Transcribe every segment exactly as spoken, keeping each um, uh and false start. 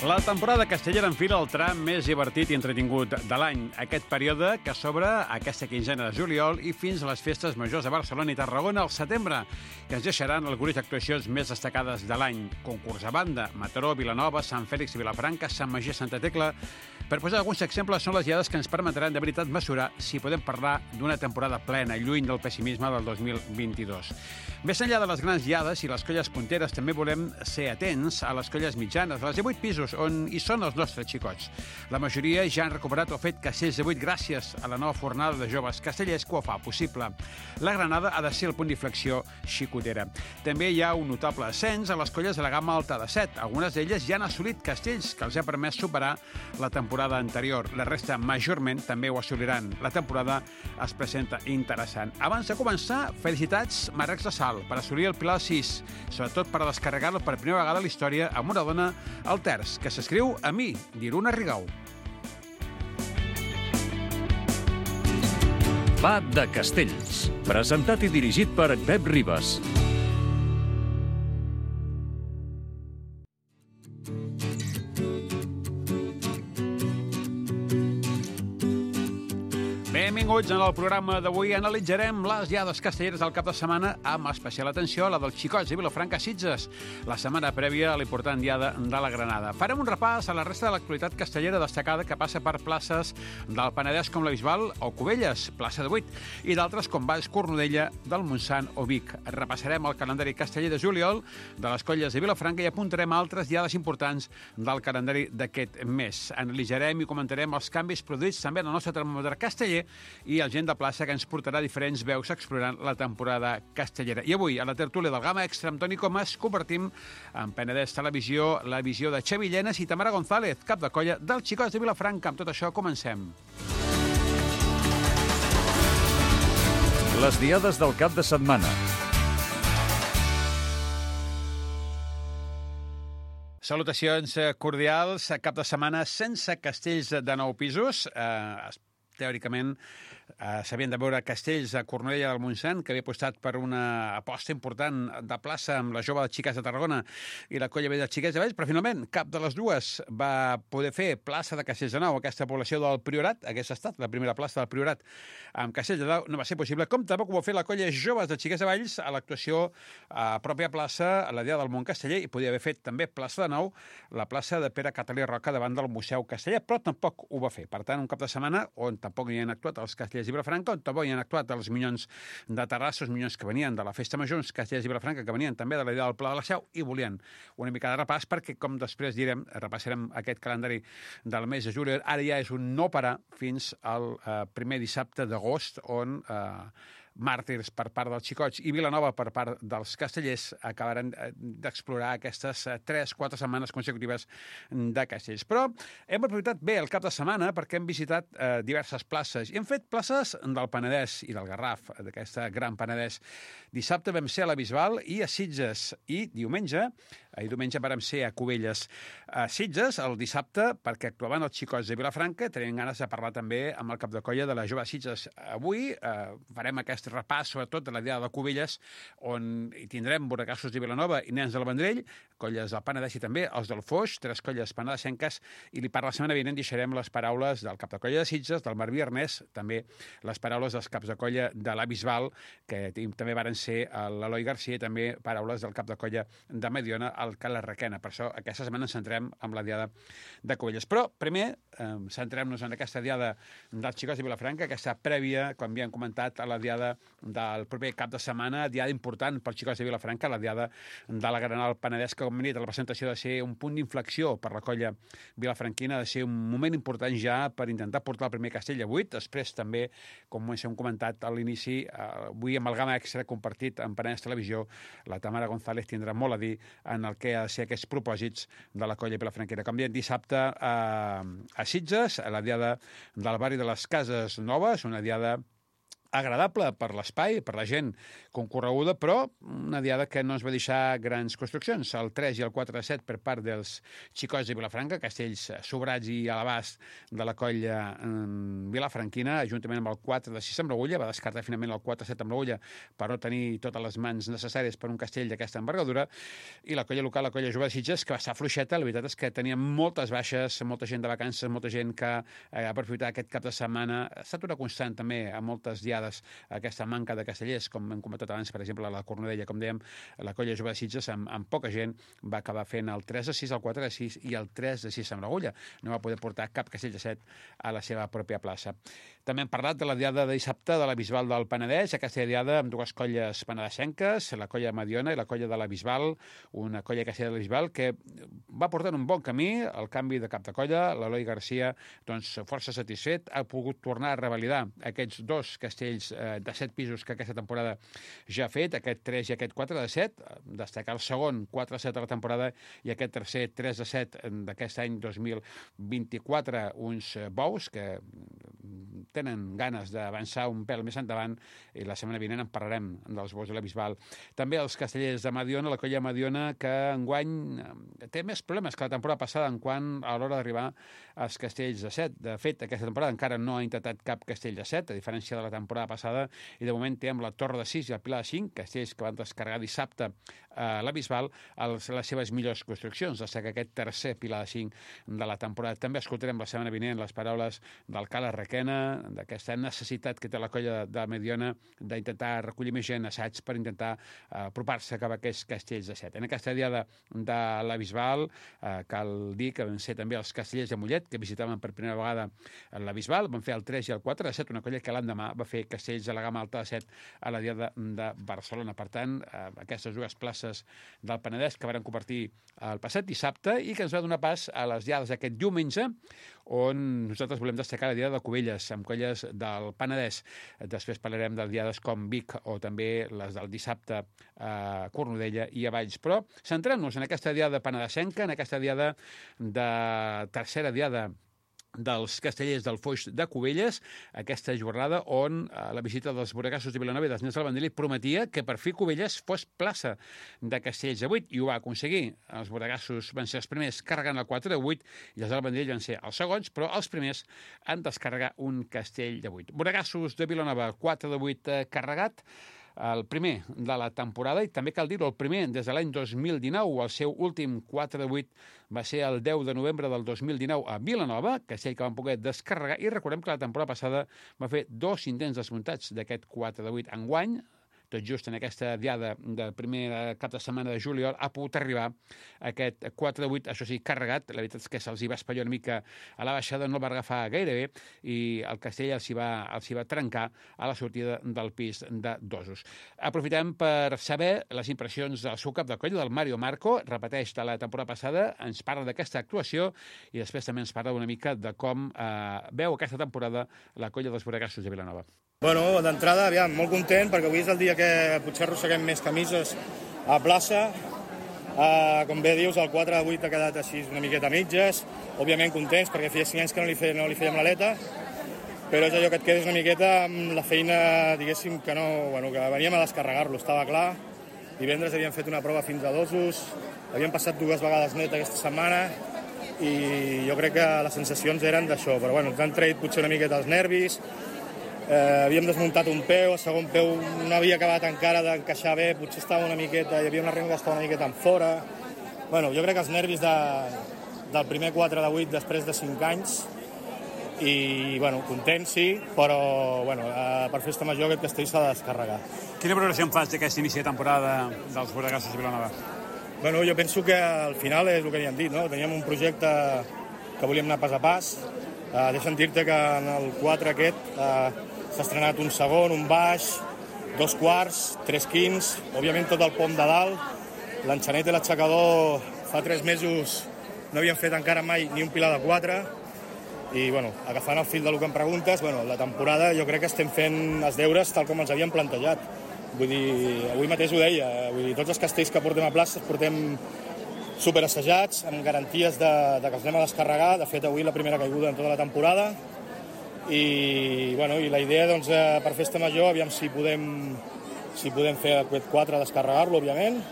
La temporada castellera enfila el tram més divertit i entretingut de l'any. Aquest període que s'obre aquesta quinzena de juliol i fins a les festes majors de Barcelona i Tarragona al setembre, que ens deixaran el gruix d'actuacions més destacades de l'any. Concurs a banda, Mataró, Vilanova, Sant Fèlix i Vilafranca, Sant Magí, Santa Tecla. Per posar alguns exemples, són les diades que ens permetran de veritat mesurar si podem parlar d'una temporada plena, lluny del pessimisme del dos mil vint-i-dos. Més enllà de les grans diades i les colles punteres, també volem ser atents a les colles mitjanes, a les de vuit pisos, on hi són els nostres xicots. La majoria ja han recuperat el fet Castells de vuit gràcies a la nova fornada de joves castellers que ho fa possible. La Granada ha de ser el punt d'inflexió xicotera. També hi ha un notable ascens a les colles de la gamma alta de set. Algunes d'elles ja han assolit castells que els ha permès superar la temporada anterior. La resta, majorment, també ho assoliran. La temporada es presenta interessant. Abans de començar, felicitats Marrecs de Sal per assolir el Pilar sis, sobretot per descarregar-lo per primera vegada a la història amb una dona al terç, que s'escriu a mi, d'Iruna Rigau. Va de Castells, presentat i dirigit per Pep Ribas. Benvinguts en el programa d'avui. Analitzarem les diades castelleres del cap de setmana amb especial atenció a la dels xicots de Vilafranca Sitges, la setmana prèvia a l'important diada de la Granada. Farem un repàs a la resta de l'actualitat castellera destacada que passa per places del Penedès com la Bisbal o Cubelles, plaça de vuit, i d'altres com Valls, Cornudella, del Montsant o Vic. Repassarem el calendari casteller de juliol de les colles de Vilafranca i apuntarem altres diades importants del calendari d'aquest mes. Analitzarem i comentarem els canvis produïts també en el nostre termòmetre casteller i el Gent de Plaça, que ens portarà diferents veus explorant la temporada castellera. I avui, a la tertúlia del Gamma Extra amb Toni Comas, convertim en Penedès Televisió la visió de Xavi Llenas i Tamara González, cap de colla dels xicots de Vilafranca. Amb tot això, comencem. Les diades del cap de setmana. Salutacions cordials. Cap de setmana sense castells de nou pisos. Eh, teòricament, eh, s'havien de veure castells a Cornudella del Montsant, que havia apostat per una aposta important de plaça amb la jove de Xiques de Tarragona i la colla de Xiquets de Valls, però finalment cap de les dues va poder fer plaça de castells de nou. Aquesta població del Priorat hagués estat la primera plaça del Priorat amb castells de nou, no va ser possible, com tampoc ho va fer la colla joves de Xiquets de Valls a l'actuació a pròpia plaça, a la dia del món casteller, i podia haver fet també plaça de nou la plaça de Pere Catalí Roca davant del Museu Casteller, però tampoc ho va fer. Per tant, un cap de setmana on tampoc hi han actuat els castellers de Vilafranca, on tampoc hi han actuat els minyons de Terrassa, els minyons que venien de la Festa Major, uns castellers de Vilafranca que venien també de la idea del Pla de la Seu, i volien una mica de repàs perquè, com després direm, repassarem aquest calendari del mes de juliol. Ara ja és un no parar fins al eh, primer dissabte d'agost, on eh, màrtirs per part dels xicots i Vilanova per part dels castellers acabaran d'explorar aquestes tres quatre setmanes consecutives de castells. Però hem aprofitat bé el cap de setmana perquè hem visitat eh, diverses places i hem fet places del Penedès i del Garraf, d'aquesta gran Penedès. Dissabte vam ser a la Bisbal i a Sitges, i diumenge i diumenge vam ser a Cubelles. A Sitges, el dissabte, perquè actuaven els xicots de Vilafranca, tenien ganes de parlar també amb el cap de colla de la jove Sitges. Avui eh, farem aquest repàs, sobretot, de la dia de Cubelles, on hi tindrem borracassos de Vilanova i nens del Vendrell, colles del Penedès i també els del Foix, tres colles penedesenques, i li per la setmana vinent deixarem les paraules del cap de colla de Sitges, del Marví Ernest, també les paraules dels caps de colla de la Bisbal, que també varen ser l'Eloi Garcia, i també paraules del cap de colla de Mediona, el Cala Requena. Per això aquesta setmana ens centrem en la diada de Cubelles. Però primer eh, centrem-nos en aquesta diada dels xicots de Vilafranca, aquesta prèvia, com ja hem comentat, a la diada del proper cap de setmana, diada important pels xicots de Vilafranca, la diada de la Granada al Penedès, que com hem dit, la presentació ha de ser un punt d'inflexió per la colla vilafranquina, ha de ser un moment important ja per intentar portar el primer castell a vuit. Després també, com hem comentat a l'inici, eh, avui amb el Gamma Extra compartit en Penedès Televisió, la Tamara González tindrà molt a dir en el que ha de ser aquests propòsits de la colla vilafranquina. Com diem, dissabte a, a Sitges, a la diada del barri de les Cases Noves, una diada agradable per l'espai, per la gent concorreguda, però una diada que no ens va deixar grans construccions. El tres i el quatre de set per part dels xicots de Vilafranca, castells sobrats i a l'abast de la colla vilafranquina, juntament amb el quatre de sis amb l'agulla, va descartar finalment el quatre de set amb l'agulla per no tenir totes les mans necessàries per un castell d'aquesta envergadura, i la colla local, la colla jove de Sitges, que va estar fluixeta. La veritat és que tenia moltes baixes, molta gent de vacances, molta gent que eh, ha aprofitat aquest cap de setmana. Ha estat una constant també a moltes diades aquesta manca de castellers, com hem comentat abans, per exemple, a la Cornudella, com dèiem, la colla jove de Sitges, amb, amb poca gent, va acabar fent el tres de sis, el quatre de sis i el tres de sis amb l'agulla. No va poder portar cap castell de set a la seva pròpia plaça. També hem parlat de la diada de dissabte de la Bisbal del Penedès, aquesta diada amb dues colles penedesenques, la colla Mediona i la colla de la Bisbal, una colla castella de la Bisbal que va portar un bon camí, el canvi de cap de colla, l'Eloi Garcia, doncs, força satisfet, ha pogut tornar a revalidar aquests dos castells de set pisos que aquesta temporada ja ha fet, aquest tres i aquest quatre de set, destacar el segon quatre de set de la temporada i aquest tercer tres de set d'aquest any dos mil vint-i-quatre, uns bous que tenen ganes d'avançar un pèl més endavant, i la setmana vinent en parlarem dels bous de la Bisbal. També els castellers de Mediona, la colla Mediona, que enguany té més problemes que la temporada passada en quant a l'hora d'arribar als castells de set. De fet, aquesta temporada encara no ha intentat cap castell de set, a diferència de la temporada passada, i de moment té amb la Torre de sis i el Pilar de cinc, castells que van descarregar dissabte a la Bisbal, les seves millors construccions. Destaca aquest tercer Pilar de cinc de la temporada. També escoltarem la setmana vinent les paraules del Cala Requena, d'aquesta necessitat que té la colla de Mediona d'intentar recollir més gent assaig per intentar uh, apropar-se cap a aquests castells de set. En aquesta diada de la Bisbal uh, cal dir que van ser també els castellers de Mollet, que visitaven per primera vegada la Bisbal, van fer el tres i el quatre de set, una colla que l'endemà va fer castells a la gamma alta de set a la diada de Barcelona. Per tant, uh, aquestes dues places del Penedès que van convertir el passat dissabte i que ens va donar pas a les diades d'aquest diumenge, on nosaltres volem destacar la diada de Cubelles, amb colles del Penedès. Després parlarem de diades com Vic o també les del dissabte a Cornudella i a Valls. Però centrem-nos en aquesta diada penedesenca, en aquesta diada de tercera diada dels castellers del Foix de Cubelles, aquesta jornada on eh, la visita dels Boregassos de Vilanova i dels Nens del Vendrell prometia que per fi Cubelles fos plaça de castells de vuit, i ho va aconseguir. Els Boregassos van ser els primers carregant el quatre de vuit i els del Vendrell van ser els segons, però els primers han descarregat un castell de vuit. Boregassos de Vilanova, quatre de vuit eh, carregat, el primer de la temporada, i també cal dir-ho, el primer des de l'any dos mil dinou. El seu últim quatre de vuit va ser el deu de novembre del dos mil dinou a Vilanova, castell que van poder descarregar, i recordem que la temporada passada va fer dos intents desmuntats d'aquest quatre de vuit. Enguany, tot just en aquesta diada de primer cap de setmana de juliol, ha pogut arribar aquest quatre de vuit, això sí, carregat. La veritat és que se'ls hi va espatllar una mica a la baixada, no el va agafar gaire bé, i el castell els hi va, els hi va trencar a la sortida del pis de Dosos. Aprofitem per saber les impressions del seu cap de colla, del Mario Marco, repeteix de la temporada passada, ens parla d'aquesta actuació i després també ens parla una mica de com eh, veu aquesta temporada la colla dels Boregassos de Vilanova. Bueno, d'entrada, aviam, molt content, perquè avui és el dia que potser arrosseguem més camises a plaça. Uh, com bé dius, el quatre de vuit ha quedat així una miqueta a mitges. Òbviament contents, perquè feia cinc anys que no li, fe, no li fèiem l'aleta, però és allò que et quedes una miqueta amb la feina, diguéssim, que no, bueno, que veníem a descarregar-lo, estava clar. Divendres havíem fet una prova fins a Dosos, havíem passat dues vegades net aquesta setmana, i jo crec que les sensacions eren d'això, però bueno, ens han tret potser una miqueta els nervis. Eh, havíem desmuntat un peu, el segon peu no havia acabat encara d'encaixar bé, potser estava una miqueta, hi havia una renga que estava una miqueta en fora. Bueno, jo crec que els nervis de, del primer quatre de vuit després de cinc anys, i bueno, content sí, però bueno, eh, per festa major aquest castell s'ha de descarregar. Quina valoració en fas d'aquest inici de temporada dels Boregassos de Vilanova? Bueno, jo penso que al final és el que havíem dit, no? Teníem un projecte que volíem anar pas a pas. Uh, deixa'm dir-te que en el quatre aquest uh, s'ha estrenat un segon, un baix, dos quarts, tres quints, òbviament tot el pom de dalt. L'enxanet i l'aixecador fa tres mesos no havien fet encara mai ni un pilar de quatre, i bueno, agafant el fil del que em preguntes, bueno, la temporada jo crec que estem fent els deures tal com ens havíem plantejat. Vull dir, avui mateix ho deia, vull dir, tots els castells que portem a plaça els portem superassajats, amb garanties de, de que els anem a descarregar. De fet, avui la primera caiguda en tota la temporada. i, bueno, i la idea doncs, per Festa Major, aviam si podem, si podem fer aquest quatre, descarregar-lo, òbviament.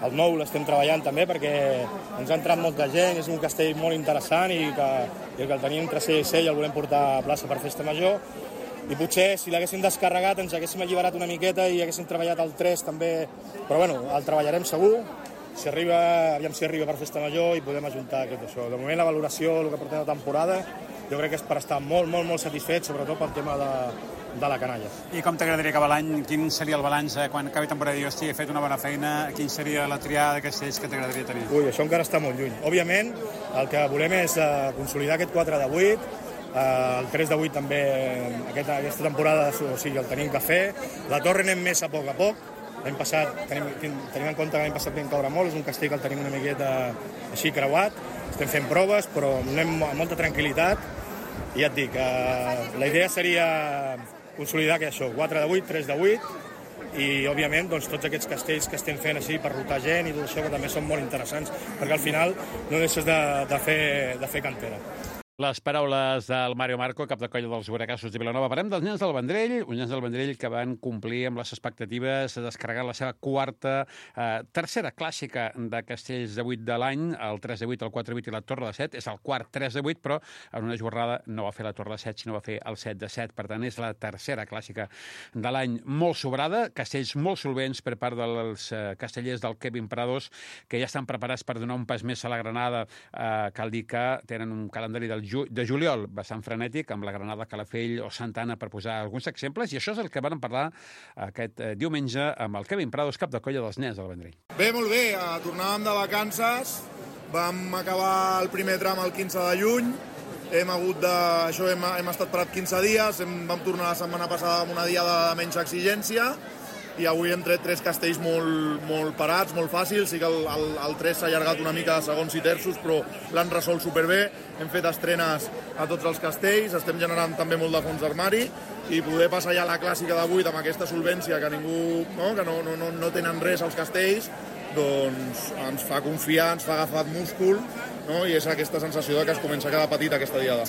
El nou l'estem treballant també perquè ens ha entrat molta gent, és un castell molt interessant i que, i que el tenim entre C i C i el volem portar a plaça per Festa Major. I potser si l'haguéssim descarregat ens haguéssim alliberat una miqueta i haguéssim treballat el tres també, però bueno, el treballarem segur. Si arriba, aviam si arriba per Festa Major i podem ajuntar aquest això. De moment la valoració, el que portem de temporada, jo crec que és per estar molt, molt, molt satisfet, sobretot pel tema de, de la canalla. I com t'agradaria acabar l'any? Quin seria el balanç eh, quan acabi temporada? Jo estic, he fet una bona feina. Quin seria la triada de castells que t'agradaria tenir? Ui, això encara està molt lluny. Òbviament, el que volem és uh, consolidar aquest quatre de vuit, uh, el tres de vuit també, aquesta, aquesta temporada, o sigui, el tenim que fer. La torre anem més a poc a poc. L'any passat, tenim, tenim en compte que l'any passat vam caure molt, és un castell que el tenim una miqueta així creuat, estem fent proves, però anem amb molta tranquil·litat, i ja et dic, eh, la idea seria consolidar que això, quatre de vuit, tres de vuit, i òbviament doncs, tots aquests castells que estem fent així per rotar gent i tot això, que també són molt interessants, perquè al final no deixes de, de, fer, de fer cantera. Les paraules del Mario Marco, cap de colla dels Boracassos de Vilanova. Parlem dels nens del Vendrell, uns nens del Vendrell que van complir amb les expectatives, descarregar la seva quarta, eh, tercera clàssica de castells de vuit de l'any, el tres de vuit, el quatre de vuit i la Torre de set. És el quart tres de vuit, però en una jornada no va fer la Torre de set, sinó va fer el set de set. Per tant, és la tercera clàssica de l'any molt sobrada, castells molt solvents per part dels eh, castellers del Kevin Prados, que ja estan preparats per donar un pas més a la Granada. Eh, cal dir que tenen un calendari del de juliol bastant frenètic, amb la Granada, Calafell o Santa Anna, per posar alguns exemples, i això és el que vam parlar aquest eh, diumenge amb el Kevin Prados, cap de colla dels nens del Vendrell. Bé, molt bé, tornàvem de vacances, vam acabar el primer tram el quinze de juny, hem hagut de... això hem, hem estat parat quinze dies, hem, vam tornar la setmana passada amb una diada de menys exigència, i avui hem tret tres castells molt, molt parats, molt fàcils. Sí que el, el, el tres s'ha allargat una mica de segons i terços, però l'han resolt superbé. Hem fet estrenes a tots els castells, estem generant també molt de fons d'armari, i poder passar ja a la clàssica de vuit amb aquesta solvència que ningú, no, que no, no, no tenen res als castells, doncs ens fa confiar, ens fa agafat múscul, no? I és aquesta sensació de que es comença a quedar petit aquesta diada.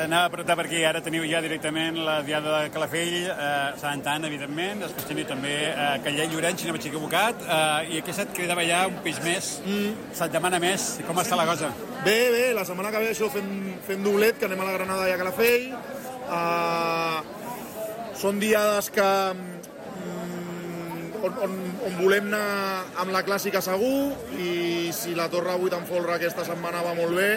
Anava a preguntar per aquí, ara teniu ja directament la diada de Calafell, eh, Santa Anna, evidentment, després teniu també eh, Callell Llorenç, si no m'he equivocat, eh, i aquesta et cridava ja un pis més, mm. se't demana més, com està la cosa? Bé, bé, la setmana que ve això fem, fem doblet, que anem a la Granada i a Calafell. Uh, són diades que On, on, on volem anar amb la clàssica segur, i si la Torre vuit en folre aquesta setmana va molt bé,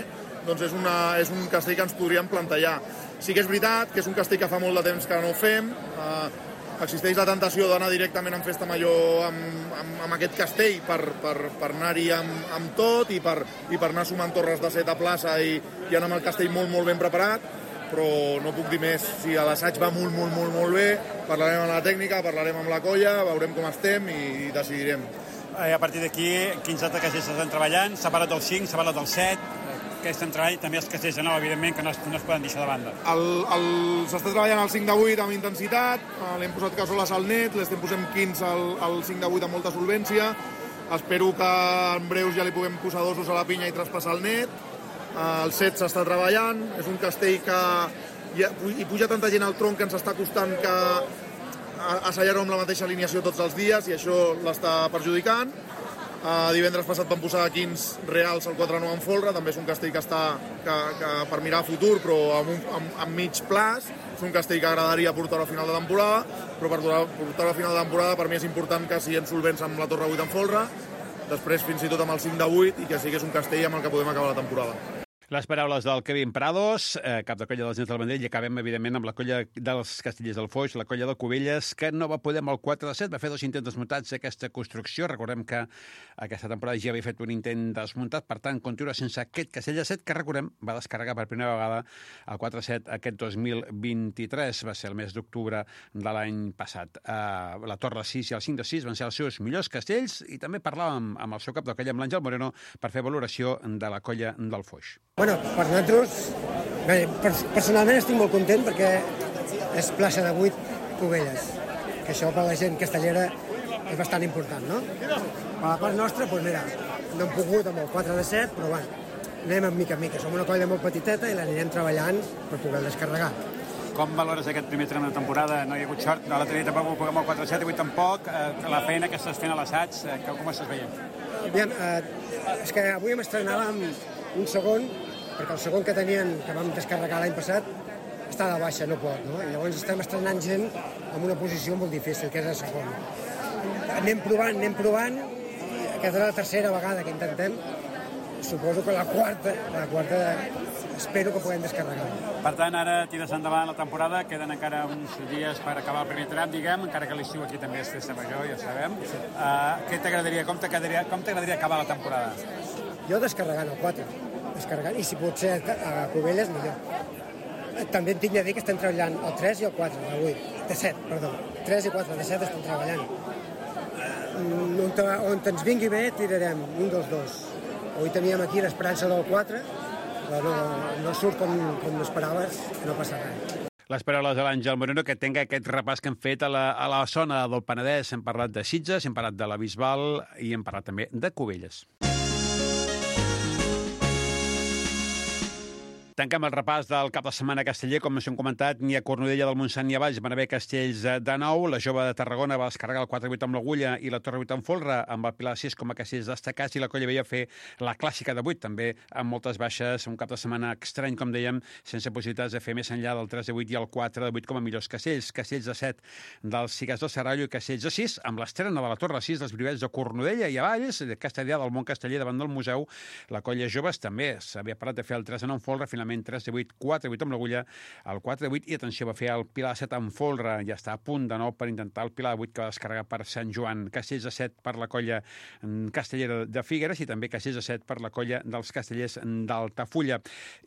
doncs és, una, és un castell que ens podríem plantejar. Sí que és veritat que és un castell que fa molt de temps que no ho fem, eh, existeix la tentació d'anar directament en Festa Major amb, amb, amb aquest castell per, per, per anar-hi amb, amb tot i per, i per anar sumant torres de set a plaça i, i anar amb el castell molt, molt ben preparat, però no puc dir més. Si l'assaig va molt, molt, molt, molt bé, parlarem amb la tècnica, parlarem amb la colla, veurem com estem i decidirem. I a partir d'aquí, quins altres castells estan treballant? S'ha parlat del cinc, s'ha parlat del set, que estem treballant, també els castells de nou, evidentment, que no es, no es poden deixar de banda. S'està treballant el cinc de vuit amb intensitat, l'hem posat cassoles al net, l'estem posant quinze al, al cinc de vuit amb molta solvència, espero que en breus ja li puguem posar dosos a la pinya i traspassar el net. El set s'està treballant, és un castell que hi puja tanta gent al tronc que ens està costant que assallar-ho amb la mateixa alineació tots els dies, i això l'està perjudicant. Uh, divendres passat vam posar quinze reals al quatre nou en folre, també és un castell que està que, que per mirar a futur, però amb, un, amb, amb mig plaç. És un castell que agradaria portar-ho a final de temporada, però per portar-ho a final de temporada per mi és important que siguem solvents amb la Torre vuit en folre, després fins i tot amb el cinc de vuit, i que sí que és un castell amb el que podem acabar la temporada. Les paraules del Kevin Prados, eh, cap de colla dels nens del Vendrell, i acabem, evidentment, amb la colla dels Castellers del Foix, la colla de Cubelles, que no va poder amb el quatre de set, va fer dos intents desmuntats d'aquesta construcció. Recordem que aquesta temporada ja havia fet un intent desmuntat, per tant, continua sense aquest castell de set, que, recordem, va descarregar per primera vegada el quatre de set aquest dos mil vint-i-tres, va ser el mes d'octubre de l'any passat. Eh, la Torre sis i el cinc de sis van ser els seus millors castells, i també parlàvem amb el seu cap de colla, amb l'Àngel Moreno, per fer valoració de la colla del Foix. Bueno, per nosaltres, bé, personalment estic molt content perquè és plaça de vuit Cubelles, que això per la gent castellera és bastant important, no? Per la part nostra, doncs mira, no hem pogut amb el quatre de set, però bueno, anem en mica en mica. Som una colla molt petiteta i l'anirem treballant per poder descarregar. com valores aquest primer tram de temporada? No hi ha hagut sort, no l'altre dia tampoc ho puguem al quatre set, avui tampoc, eh, la feina que estàs fent a l'assaig, eh, com estàs veient? Aviam, eh, és que avui em estrenàvem un segon, perquè el segon que tenien, que vam descarregar l'any passat, està de baixa, no pot, no? I llavors estem estrenant gent en una posició molt difícil, que és el segon. Anem provant, anem provant, aquesta és la tercera vegada que intentem, suposo que la quarta, la quarta espero que puguem descarregar. Per tant, ara tires endavant la temporada, queden encara uns dies per acabar el primer tram, diguem, encara que l'estiu aquí també és festa major, ja sabem. Sí. Uh, què t'agradaria, com t'agradaria, com t'agradaria acabar la temporada? Jo descarregant el quatre, descarregant, i si pot ser a Cubelles, millor. També em tinc de dir que estem treballant el tres i el quatre, el vuit, de set, perdó. tres i quatre, de set estem treballant. On, on ens vingui bé, tirarem un dels dos. Avui teníem aquí l'esperança del quatre, però no, no surt com, com esperaves, no passa res. Les paraules de l'Àngel Moreno, que tenga aquest repàs que hem fet a la, a la zona del Penedès. Hem parlat de Sitges, hem parlat de la Bisbal i hem parlat també de Cubelles. Tanquem el repàs del cap de setmana casteller. Com us hem comentat, ni a Cornudella del Montsant ni a Valls van haver castells de nou. La Jove de Tarragona va descarregar el quatre vuit amb l'Agulla i la Torre vuit amb Folra, amb el Pilar sis com a castells destacats, i la Colla Vella fer la clàssica de vuit, també amb moltes baixes. Un cap de setmana estrany, com dèiem, sense possibilitats de fer més enllà del tres de vuit i el quatre de vuit com a millors castells. Castells de set dels Cigars del Serrallo i castells de sis, amb l'estrena de la Torre sis dels Brivets de Cornudella i a Valls, de Castellà del Mont Casteller davant del museu. La Colla Joves també s'havia parat de fer el tres de nou amb Folra, finalment tres de vuit, quatre de vuit amb l'Agulla, el quatre de vuit, i atenció, va fer el Pilar de set amb Folra, ja està a punt de nou per intentar el Pilar de vuit que va descarregar per Sant Joan. Castells de set per la Colla Castellera de Figueres i també castells de set per la Colla dels Castellers d'Altafulla.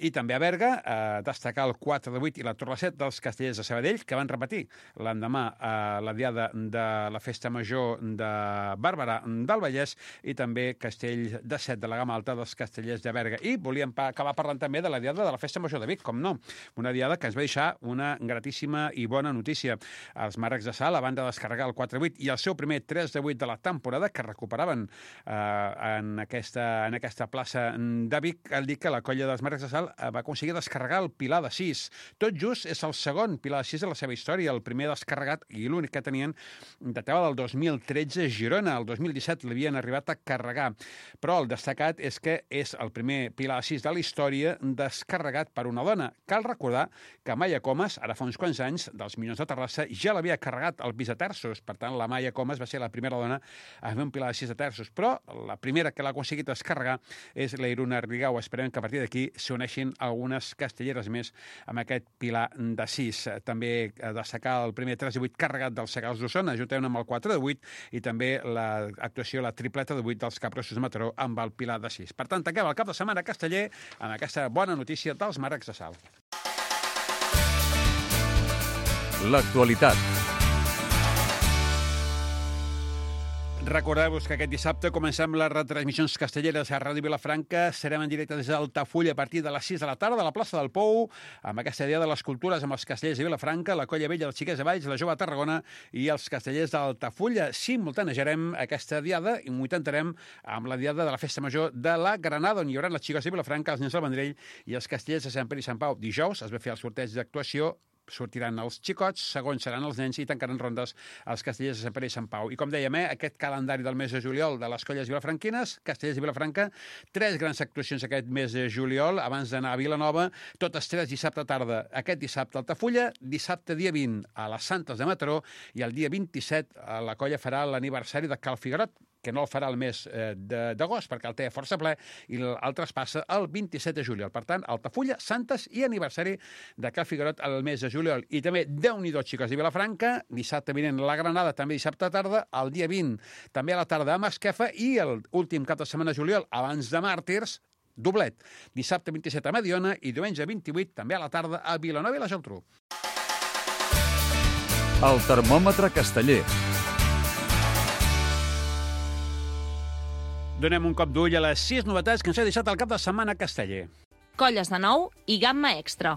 I també a Berga, eh, destacar el quatre de vuit i la Torre set dels Castellers de Sabadell, que van repetir l'endemà a eh, la diada de la Festa Major de Bàrbara del Vallès, i també castell de set de la gamma alta dels Castellers de Berga. I volíem acabar parlant també de la diada de la Festa Major de Vic, com no. Una diada que ens va deixar una gratíssima i bona notícia. Els Màrrecs de Sal, a banda de descarregar el quatre vuit i el seu primer tres de vuit de la temporada, que recuperaven eh, en, aquesta, en aquesta plaça de Vic, cal dir que la Colla dels Màrrecs de Sal va aconseguir descarregar el Pilar de sis. Tot just és el segon Pilar de sis de la seva història. El primer descarregat i l'únic que tenien datava del dos mil tretze a Girona. El dos mil disset l'havien arribat a carregar. Però el destacat és que és el primer Pilar de sis de la història descarregat per una dona. Cal recordar que Maia Comas, ara fa uns quants anys, dels Minyons de Terrassa, ja l'havia carregat el pis de terços. Per tant, la Maia Comas va ser la primera dona a fer un Pilar de sis de terços. Però la primera que l'ha aconseguit descarregar és la Iruna Rigau. Esperem que a partir d'aquí s'uneixin algunes castelleres més amb aquest Pilar de sis. També destacar el primer tres de vuit carregat dels Segals d'Osona, juntament amb el quatre de vuit, i també l'actuació, la tripleta de vuit dels Capgrossos de Mataró amb el Pilar de sis. Per tant, tanquem el cap de setmana casteller amb aquesta bona notícia dels Màrrecs de Sal. L'actualitat. Recordeu-vos que aquest dissabte comencem les retransmissions castelleres a Ràdio Vilafranca. Serem en directe des d'Altafulla a partir de les sis de la tarda a la plaça del Pou, amb aquesta idea de les cultures amb els castellers de Vilafranca, la Colla Vella, els Xiquets de Valls, la Jove de Tarragona i els castellers d'Altafulla. Simultanejarem aquesta diada i m'ho intentarem amb la diada de la Festa Major de la Granada, on hi haurà les xiques de Vilafranca, els nens del Vendrell i els castellers de Sant Pere i Sant Pau. Dijous es va fer el sorteig d'actuació, sortiran els xicots, segons seran els nens i tancaran rondes els castellers de Sant Pere i Sant Pau. I com dèiem, eh, aquest calendari del mes de juliol de les colles vilafranquines, castellers de Vilafranca, tres grans actuacions aquest mes de juliol, abans d'anar a Vilanova, totes tres dissabte tarda. Aquest dissabte a Altafulla, dissabte dia vint a les Santes de Mataró i el dia vint-i-set la colla farà l'aniversari de Cal Figuerot, que no el farà el mes eh, d'agost, perquè el té força ple, i l'altre es passa el vint-i-set de juliol. Per tant, Altafulla, Santes i aniversari de Cal Figuerot el mes de juliol. I també, Déu-n'hi-do, xiques de Vilafranca, dissabte vinent la Granada, també dissabte a tarda, el dia vint, també a la tarda a Masquefa, i l'últim cap de setmana de juliol, abans de Màrtirs, doblet. Dissabte vint-i-set a Mediona i diumenge vint-i-vuit, també a la tarda, a Vilanova i la Geltrú. El termòmetre casteller. Donem un cop d'ull a les sis novetats que ens ha deixat el cap de setmana casteller. Colles de nou i gamma extra.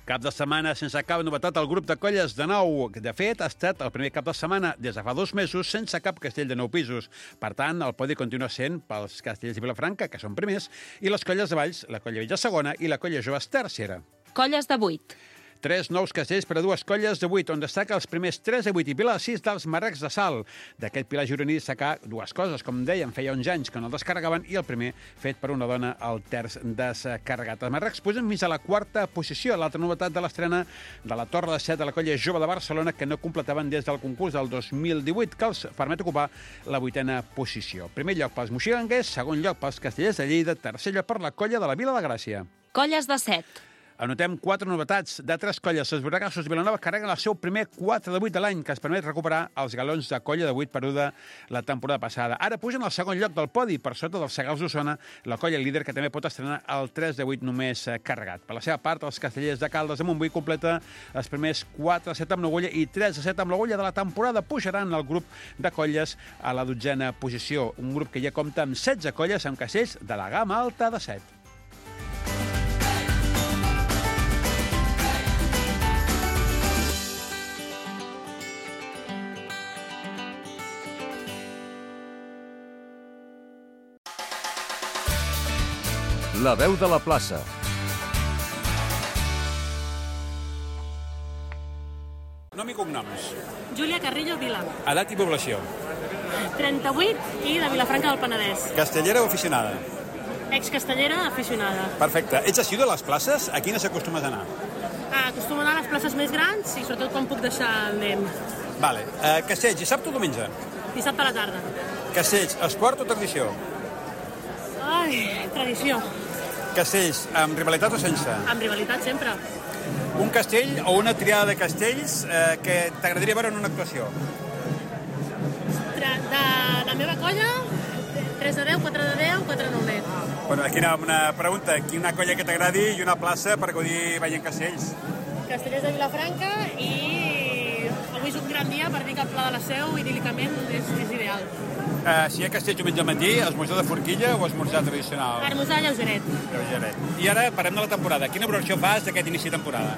Cap de setmana sense cap novetat al grup de colles de nou. De fet, ha estat el primer cap de setmana des de fa dos mesos sense cap castell de nou pisos. Per tant, el podi continua sent pels castells de Vilafranca, que són primers, i les colles de Valls, la Colla Vella segona i la Colla Joves tercera. Colles de vuit. Tres nous castells per a dues colles de vuit, on destaca els primers tres de vuit i Pilar de sis dels Marrecs de Salt. D'aquest Pilar gironí destacar dues coses, com dèiem, feia onze anys que no el descarregaven i el primer fet per una dona al terç descarregat. Els Marrecs pugen fins a la quarta posició, l'altra novetat de l'estrena de la Torre de Set de la colla jove de Barcelona, que no completaven des del concurs del dos mil divuit, que els permet ocupar la vuitena posició. Primer lloc pels moxiganguers, segon lloc pels castellers de Lleida, tercer lloc per la colla de la Vila de Gràcia. Colles de set. Anotem quatre novetats de tres colles. Els Borregassos de Vilanova carreguen el seu primer quatre de vuit de l'any, que es permet recuperar els galons de colla de vuit perduda la temporada passada. Ara pugen al segon lloc del podi, per sota dels Segals d'Osona, la colla líder, que també pot estrenar el tres de vuit només carregat. Per la seva part, els castellers de Caldes de Montbui completa els primers quatre de set amb l'Agulla i tres de set amb l'Agulla de la temporada. Pujaran el grup de colles a la dotzena posició. Un grup que ja compta amb setze colles amb castells de la gamma alta de set. La veu de la plaça. Nom i cognoms. Júlia Carrillo Vila. Edat i població. trenta-vuit i de Vilafranca del Penedès. Castellera o aficionada? Ex-castellera, aficionada. Perfecte. Ets assidu de les places? A quines acostumes a anar? Ah, acostumo a anar a les places més grans i sobretot quan puc deixar el nen. Vale. Uh, castells, dissabte o diumenge? Dissabte a la tarda. Castells, esport o tradició? Ai, tradició. Castells, amb rivalitat o sense? Amb rivalitat sempre. Un castell o una triada de castells eh, que t'agradaria veure en una actuació? Tra de la meva colla, tres de deu, quatre de deu, quatre de nou net. Bueno, aquí una, una pregunta. Aquí una colla que t'agradi i una plaça per gaudir veient castells. Castellers de Vilafranca i avui és un gran dia per dir que el Pla de la Seu, idíl·licament, és, és ideal. Uh, si hi ha castells diumenge al matí, esmorzar de forquilla o esmorzar tradicional? Esmorzar lleugeret. Lleugeret. I ara parem de la temporada. Quina valoració fas d'aquest inici de temporada?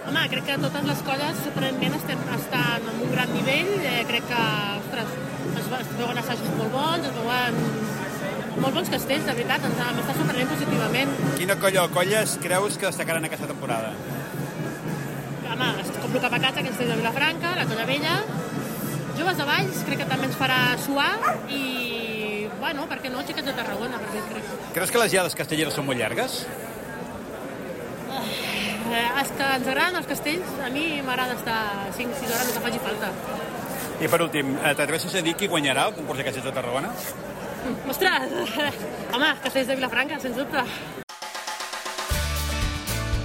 Home, crec que totes les colles sorprenentment estem, estan en un gran nivell. Eh, crec que, ostres, es, es veuen assajos molt bons, es veuen molt bons castells, de veritat, ens està sorprenent positivament. Quina colla o colles creus que destacaran aquesta temporada? Home, com el Capacata, que és de Vilafranca, la colla vella. Joves de Valls, crec que també ens farà suar i, bueno, per què no, xiquets de Tarragona, perquè crec. Creus que les diades castelleres són molt llargues? Eh, els que ens agraden els castells, a mi m'agrada estar cinc sis hores, el que faci falta. I per últim, t'atreveixes a dir qui guanyarà el concurs de castells de Tarragona? Ostres! Home, castells de Vilafranca, sens dubte.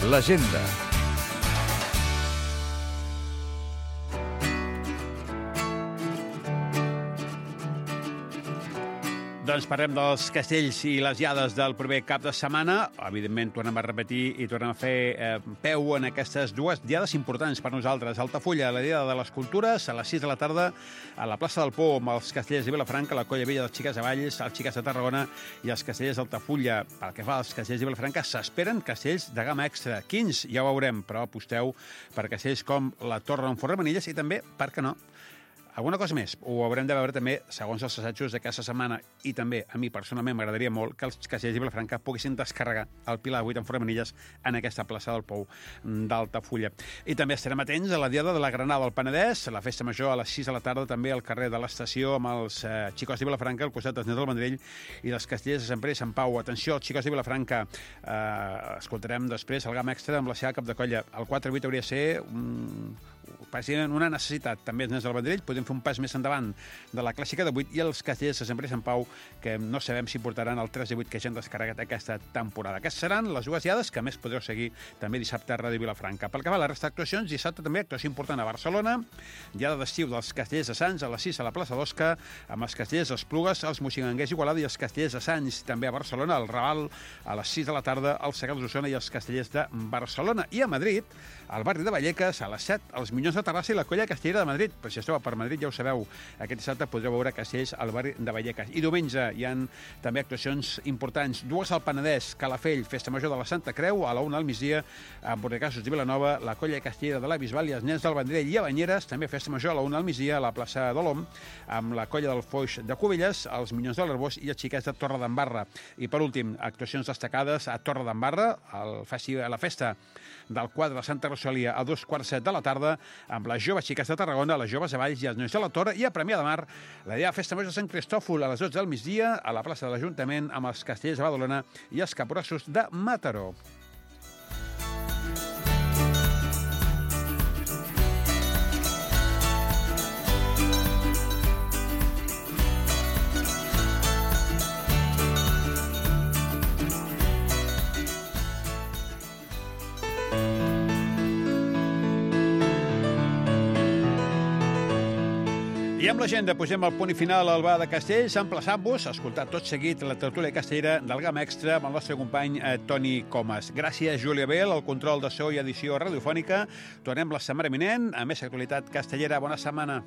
L'agenda. Doncs parlem dels castells i les diades del proper cap de setmana. Evidentment, tornem a repetir i tornem a fer eh, peu en aquestes dues diades importants per nosaltres. Altafulla, la Diada de les Cultures, a les sis de la tarda, a la plaça del Pou, amb els castellers de Vilafranca, la colla vella dels Xiques de Valls, els Xiques de Tarragona i els castellers d'Altafulla. Pel que fa als castellers de Vilafranca, s'esperen castells de gamma extra. Quins? Ja ho veurem, però aposteu per castells com la Torre d'en Forremanilles i també, per què no, alguna cosa més. Ho haurem de veure també segons els assajos d'aquesta setmana i també a mi personalment m'agradaria molt que els castellers de Vilafranca poguessin descarregar el Pilar de vuit en Forremanilles en aquesta plaça del Pou d'Altafulla. I també estarem atents a la Diada de la Granada del Penedès, la festa major a les sis de la tarda també al carrer de l'Estació amb els eh, xicos de Vilafranca al costat dels nens del Vendrell i dels castellers de Sant Pere i Sant Pau. Atenció, els xicos de Vilafranca. Eh, escoltarem després el Gam Extra amb la seva cap de colla. El quatre vuit hauria de ser un, una necessitat. També els nens del Vendrell podem fer un pas més endavant de la clàssica de vuit i els castellers de Sant Pere i Sant Pau, que no sabem si portaran el tres de vuit que ja han descarregat aquesta temporada. Aquestes seran les dues diades que més podreu seguir també dissabte a Ràdio Vilafranca. Pel que va a la resta d'actuacions, dissabte també actuació important a Barcelona, diada d'estiu dels castellers de Sants a les sis a la plaça d'Osca, amb els castellers d'Esplugues, els moxiganguers Igualada i els castellers de Sants. També a Barcelona, al Raval, a les sis de la tarda, els Segals d'Osona i els castellers de Barcelona. I a Madrid, al barri de Vallecas, a les set, els Minyons Minyons de Terrassa i la Colla Castellera de Madrid. Però si esteu per Madrid, ja ho sabeu, aquest dissabte podreu veure castells al barri de Vallecas. I diumenge hi ha també actuacions importants. Dues al Penedès, Calafell, Festa Major de la Santa Creu, a la una al migdia, a Bordegassos de Vilanova, la Colla Castellera de la Bisbal i els nens del Vendrell i a Banyeres, també Festa Major a la una al migdia, a la plaça d'Olom, amb la Colla del Foix de Cubelles, els Minyons de l'Arbós i els xiquets de Torredembarra. I per últim, actuacions destacades a Torredembarra, al festi- a la festa del quadre de Santa Rosalia a dos quarts set de la tarda, amb les joves xiques de Tarragona, les joves de Valls i els nois de la Torre, i a Premià de Mar, la idea Festa Major de Sant Cristòfol a les dotze del migdia, a la plaça de l'Ajuntament, amb els castellers de Badalona i els caporassos de Mataró. I amb l'agenda posem el punt i final al Bar de Castells, emplaçant-vos a escoltar tot seguit la tertúlia castellera del Gamma Extra amb el nostre company eh, Toni Comas. Gràcies, Júlia Bel, al control de so i edició radiofònica. Tornem la setmana vinent a més actualitat castellera. Bona setmana.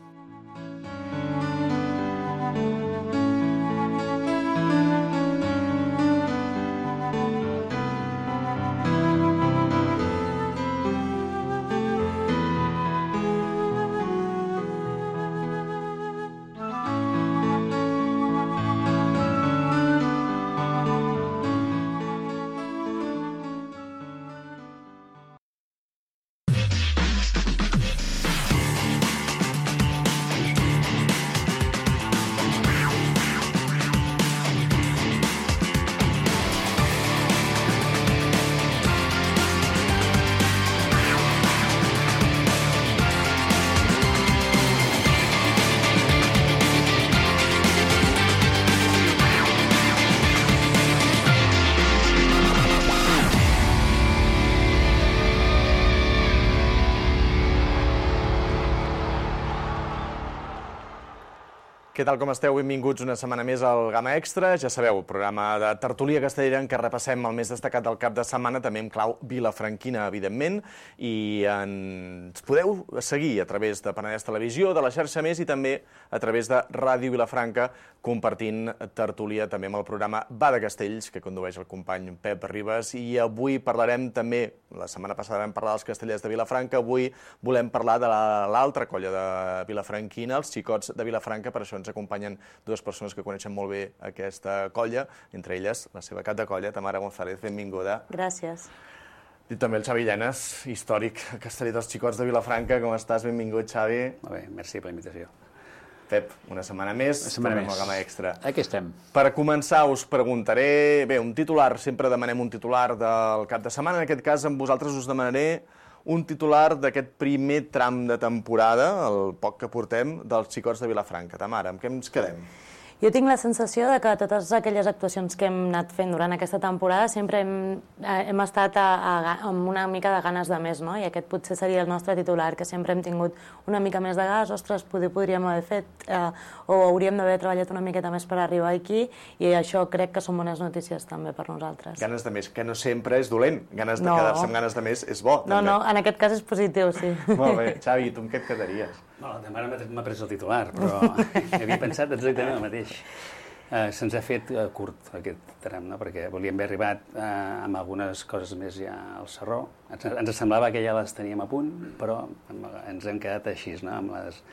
Què tal, com esteu? Benvinguts una setmana més al Gamma Extra. Ja sabeu, programa de tertúlia castellera en què repassem el més destacat del cap de setmana, també en clau vilafranquina, evidentment, i ens podeu seguir a través de Penedès Televisió, de la xarxa Més i també a través de Ràdio Vilafranca, compartint tertúlia també amb el programa Va de Castells, que condueix el company Pep Ribas, i avui parlarem també, la setmana passada vam parlar dels castellers de Vilafranca, avui volem parlar de l'altra colla de vilafranquina, els xicots de Vilafranca. Per això ens acompanyen dues persones que coneixen molt bé aquesta colla, entre elles la seva cap de colla, Tamara González, benvinguda. Gràcies. I també el Xavi Llenes, històric casteller dels xicots de Vilafranca. Com estàs? Benvingut, Xavi. Molt bé, merci per la invitació. Pep, una setmana més, una setmana tornem al Gamma Extra. Aquí estem. Per començar, us preguntaré, bé, un titular, sempre demanem un titular del cap de setmana, en aquest cas amb vosaltres us demanaré un titular d'aquest primer tram de temporada, el poc que portem, dels xicots de Vilafranca. Tamara, amb què ens quedem? Jo tinc la sensació de que totes aquelles actuacions que hem anat fent durant aquesta temporada sempre hem, hem estat a, a, amb una mica de ganes de més, no? I aquest potser seria el nostre titular, que sempre hem tingut una mica més de gas, ostres, poder, podríem haver fet, eh, o hauríem d'haver treballat una miqueta més per arribar aquí, i això crec que són bones notícies també per nosaltres. Ganes de més, que no sempre és dolent. Ganes de no. quedar-se amb ganes de més és bo, no, també. No, en aquest cas és positiu, sí. Molt bé. Xavi, tu amb què et quedaries? No, la Tamara m'ha pres el titular, però havia pensat exactament el mateix. Uh, Se'ns ha fet uh, curt aquest tram, no? Perquè volíem haver arribat uh, amb algunes coses més ja al Sarró. Ens, ens semblava que ja les teníem a punt, però ens hem quedat així, no? amb, les,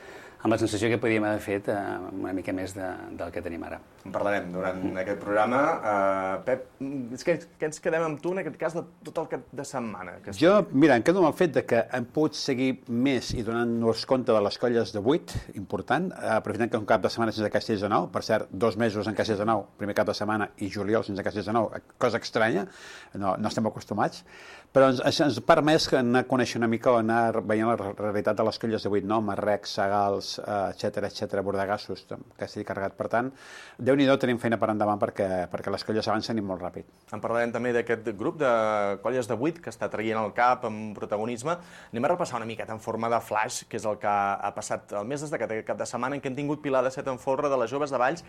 amb la sensació que podíem haver fet uh, una mica més de, del que tenim ara. En parlarem durant mm. aquest programa. Uh, Pep, què, què ens quedem amb tu en aquest cas de tot el cap de setmana? Que jo, mira, em quedo amb el fet de que hem pogut seguir més i donant-nos compte de les colles de vuit, important, aprofitant que és un cap de setmana sense Castells de Nou, per cert, dos mesos en Castells de Nou, primer cap de setmana, i juliol sense Castells de Nou, cosa estranya, no, no estem acostumats, però ens, ens ha permès anar a conèixer una mica o anar veient la realitat de les colles de vuit, no? Marrec, Sagals, etcètera, etcètera, Bordegassos, Castell carregat. Per tant, Déu-n'hi-do, tenim feina per endavant perquè, perquè les colles avancen i molt ràpid. En parlarem també d'aquest grup de colles de vuit que està traient el cap amb protagonisme. Anem a repassar una miqueta en forma de flash, que és el que ha passat el més destacat aquest cap de setmana, en què hem tingut Pilar de Set en folre de les joves de Valls.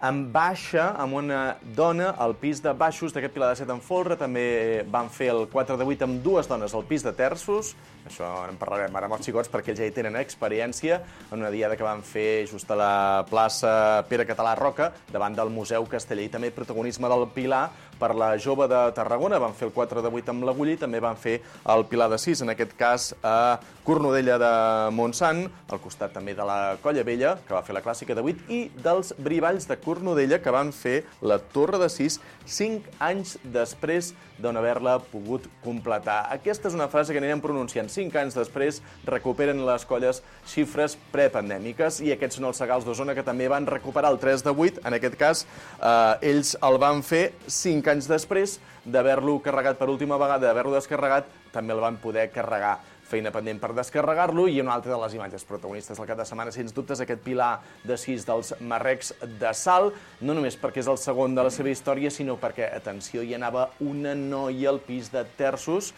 en baixa amb una dona al pis de baixos d'aquest Pilar de Set en folre. També van fer el quatre de vuit amb dues dones al pis de terços. Això en parlarem ara amb els xicots perquè ells ja hi tenen experiència en una diada que van fer just a la plaça Pere Català Roca, davant del Museu Casteller. I també protagonisme del Pilar per la Jove de Tarragona. Van fer el quatre de vuit amb l'Agullí, també van fer el Pilar de sis, en aquest cas a Cornudella de Montsant, al costat també de la Colla Vella, que va fer la clàssica de vuit, i dels Brivalls de Cornudella, que van fer la Torre de sis cinc anys després d'on haver-la pogut completar. Aquesta és una frase que anirem pronunciant. Cinc anys després recuperen les colles xifres prepandèmiques i aquests són els Segals d'Osona, que també van recuperar el tres de vuit. En aquest cas, eh, ells el van fer cinc anys després d'haver-lo carregat per última vegada, d'haver-lo descarregat, també el van poder carregar. Feina pendent per descarregar-lo, i una altra de les imatges protagonistes del cap de setmana, sens dubtes, aquest Pilar de sis dels Marrecs de Salt, no només perquè és el segon de la seva història, sinó perquè, atenció, hi anava una noia al pis de terços,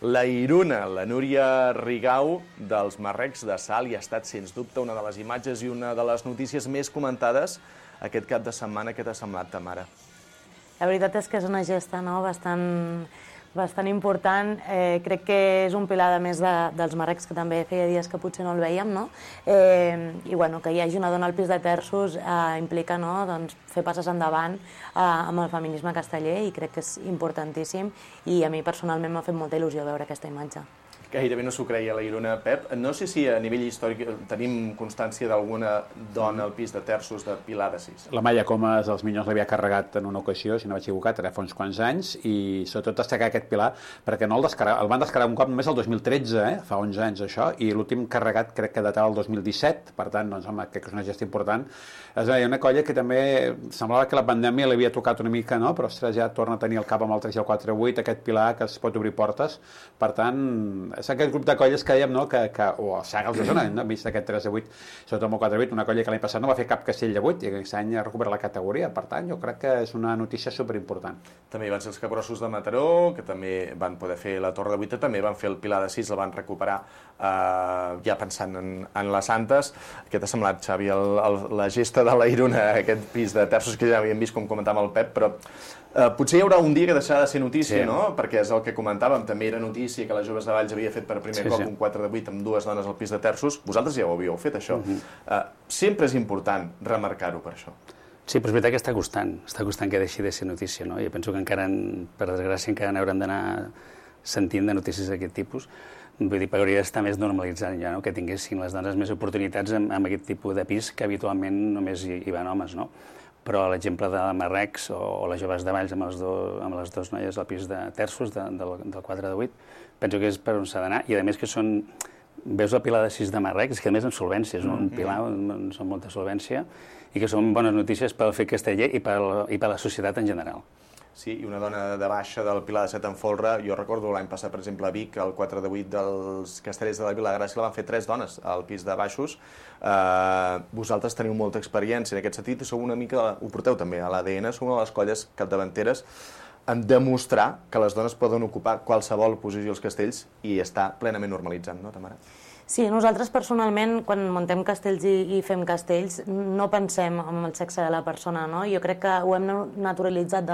la Iruna, la Núria Rigau, dels Marrecs de Salt, i ha estat, sens dubte, una de les imatges i una de les notícies més comentades aquest cap de setmana. Què t'ha semblat, Tamara? La veritat és que és una gesta, no?, bastant... bastant important. Eh, crec que és un pilar, de més, de, dels Marrecs, que també feia dies que potser no el veiem, no? Eh, I, bueno, que hi hagi una dona al pis de terços eh, implica, no?, doncs, fer passes endavant eh, amb el feminisme casteller, i crec que és importantíssim, i a mi personalment m'ha fet molta il·lusió veure aquesta imatge. Gairebé no s'ho creia la Iruna, Pep. No sé si a nivell històric tenim constància d'alguna dona al pis de terços de Pilar de sis. La Maia Comas dels Minyons l'havia carregat en una ocasió, si no vaig equivocat, ara fa uns quants anys, i sobretot destacar aquest Pilar, perquè no el, descarrega, el van descarregar un cop només el dos mil tretze, eh? Fa onze anys això, i l'últim carregat crec que datava el dos mil disset, per tant, doncs, home, crec que és una gesta important. És una colla que també semblava que la pandèmia l'havia tocat una mica, no? Però, ostres, ja torna a tenir el cap amb el tres i el quatre vuit, aquest Pilar que es pot obrir portes. Per tant, és aquest grup de colles que dèiem, no?, que, que, o el Segals d'Osona, no? Hem vist aquest tres de vuit, sobretot amb el quatre de vuit, una colla que l'any passat no va fer cap castell de vuit i aquest any ha recuperat la categoria. Per tant, jo crec que és una notícia superimportant. També van ser els Capgrossos de Mataró, que també van poder fer la Torre de vuit, també van fer el Pilar de sis, el van recuperar eh, ja pensant en, en les Santes. Què t'ha semblat, Xavi, el, el, la gesta de la Iruna, aquest pis de terços que ja havíem vist, com comentava el Pep, però Uh, potser hi haurà un dia que deixarà de ser notícia, sí, no? Perquè és el que comentàvem, també era notícia que la Joves de Valls havia fet per primer sí, cop sí. un quatre de vuit amb dues dones al pis de terços. Vosaltres ja ho havíeu fet, això. Uh-huh. uh, sempre és important remarcar-ho per això. Sí, però és veritat que està costant, està costant que deixi de ser notícia, no? Jo penso que encara, per desgràcia, encara n'haurem d'anar sentint de notícies d'aquest tipus. Vull dir, que hauria d'estar més normalitzant ja, no?, que tinguessin les dones més oportunitats amb, amb aquest tipus de pis que habitualment només hi, hi van homes, no? Però l'exemple de Marrecs o, o les Joves de Valls amb, els do, amb les dues noies al pis de terços de, del, del quatre de vuit, penso que és per on s'ha d'anar, i a més que són, veus el Pilar de sis de Marrecs, que a més en solvència, és un Pilar on són molta solvència, i que són bones notícies pel fet casteller i per, i per la societat en general. Sí, i una dona de baixa del Pilar de Set en folre. Jo recordo l'any passat, per exemple, a Vic, el quatre de vuit dels Castellers de la Vila de Gràcia la van fer tres dones al pis de baixos. Uh, vosaltres teniu molta experiència en aquest sentit i sou una mica, ho porteu també a l'A D N, sou una de les colles capdavanteres en demostrar que les dones poden ocupar qualsevol posició als castells i està plenament normalitzant, no, Tamara? Sí, nosaltres personalment, quan muntem castells i, i fem castells, no pensem en el sexe de la persona, no? Jo crec que ho hem naturalitzat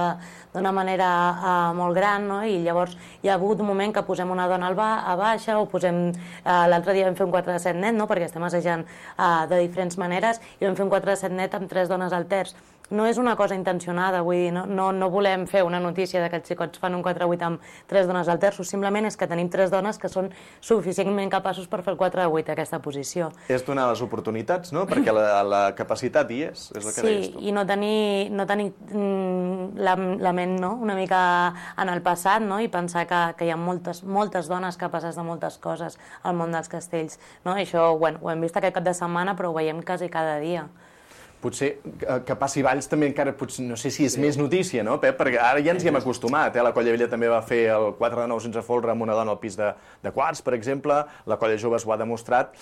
d'una manera uh, molt gran, no? I llavors hi ha hagut un moment que posem una dona al ba a baixa o posem... Uh, l'altre dia vam fer un quatre de set net, no?, perquè estem assajant uh, de diferents maneres, i vam fer un quatre de set net amb tres dones al terç. No és una cosa intencionada, vull dir, no, no, no volem fer una notícia de que els xicots fan un quatre de vuit amb tres dones al terç, simplement és que tenim tres dones que són suficientment capaços per fer el quatre de vuit a aquesta posició. És donar les oportunitats, no? Perquè la, la capacitat hi és, és el que sí, deies tu. Sí, i no tenir, no tenir mm, la, la ment, no?, una mica en el passat, no?, i pensar que, que hi ha moltes, moltes dones capaces de moltes coses al món dels castells, no? I això, bueno, ho hem vist aquest cap de setmana, però ho veiem quasi cada dia. Potser que passi Valls també encara, potser, no sé si és sí. més notícia, no, Pep? Perquè ara ja ens hi hem acostumat, eh? La Colla Vella també va fer el quatre de nou sense folre amb una dona al pis de, de quarts, per exemple, la Colla Joves ho ha demostrat,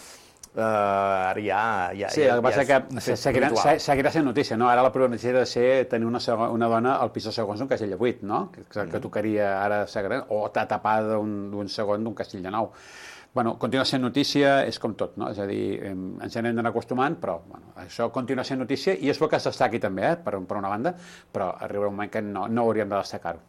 uh, ara ja, ja, sí, ja, el que passa ja que seguirà, seguirà sent notícia, no? Ara la probabilitat de ser tenir una, una dona al pis de segons d'un castell de vuit, no? Que, que, que tocaria ara ser gran, o tapada d'un segon d'un castell de nou. Bueno, continua sent notícia, és com tot, no? És a dir, ens anem d'anar acostumant, però bueno, això continua sent notícia i és bo que es destaqui també, eh, per, per una banda, però arribarà un moment que no, no hauríem de destacar-ho.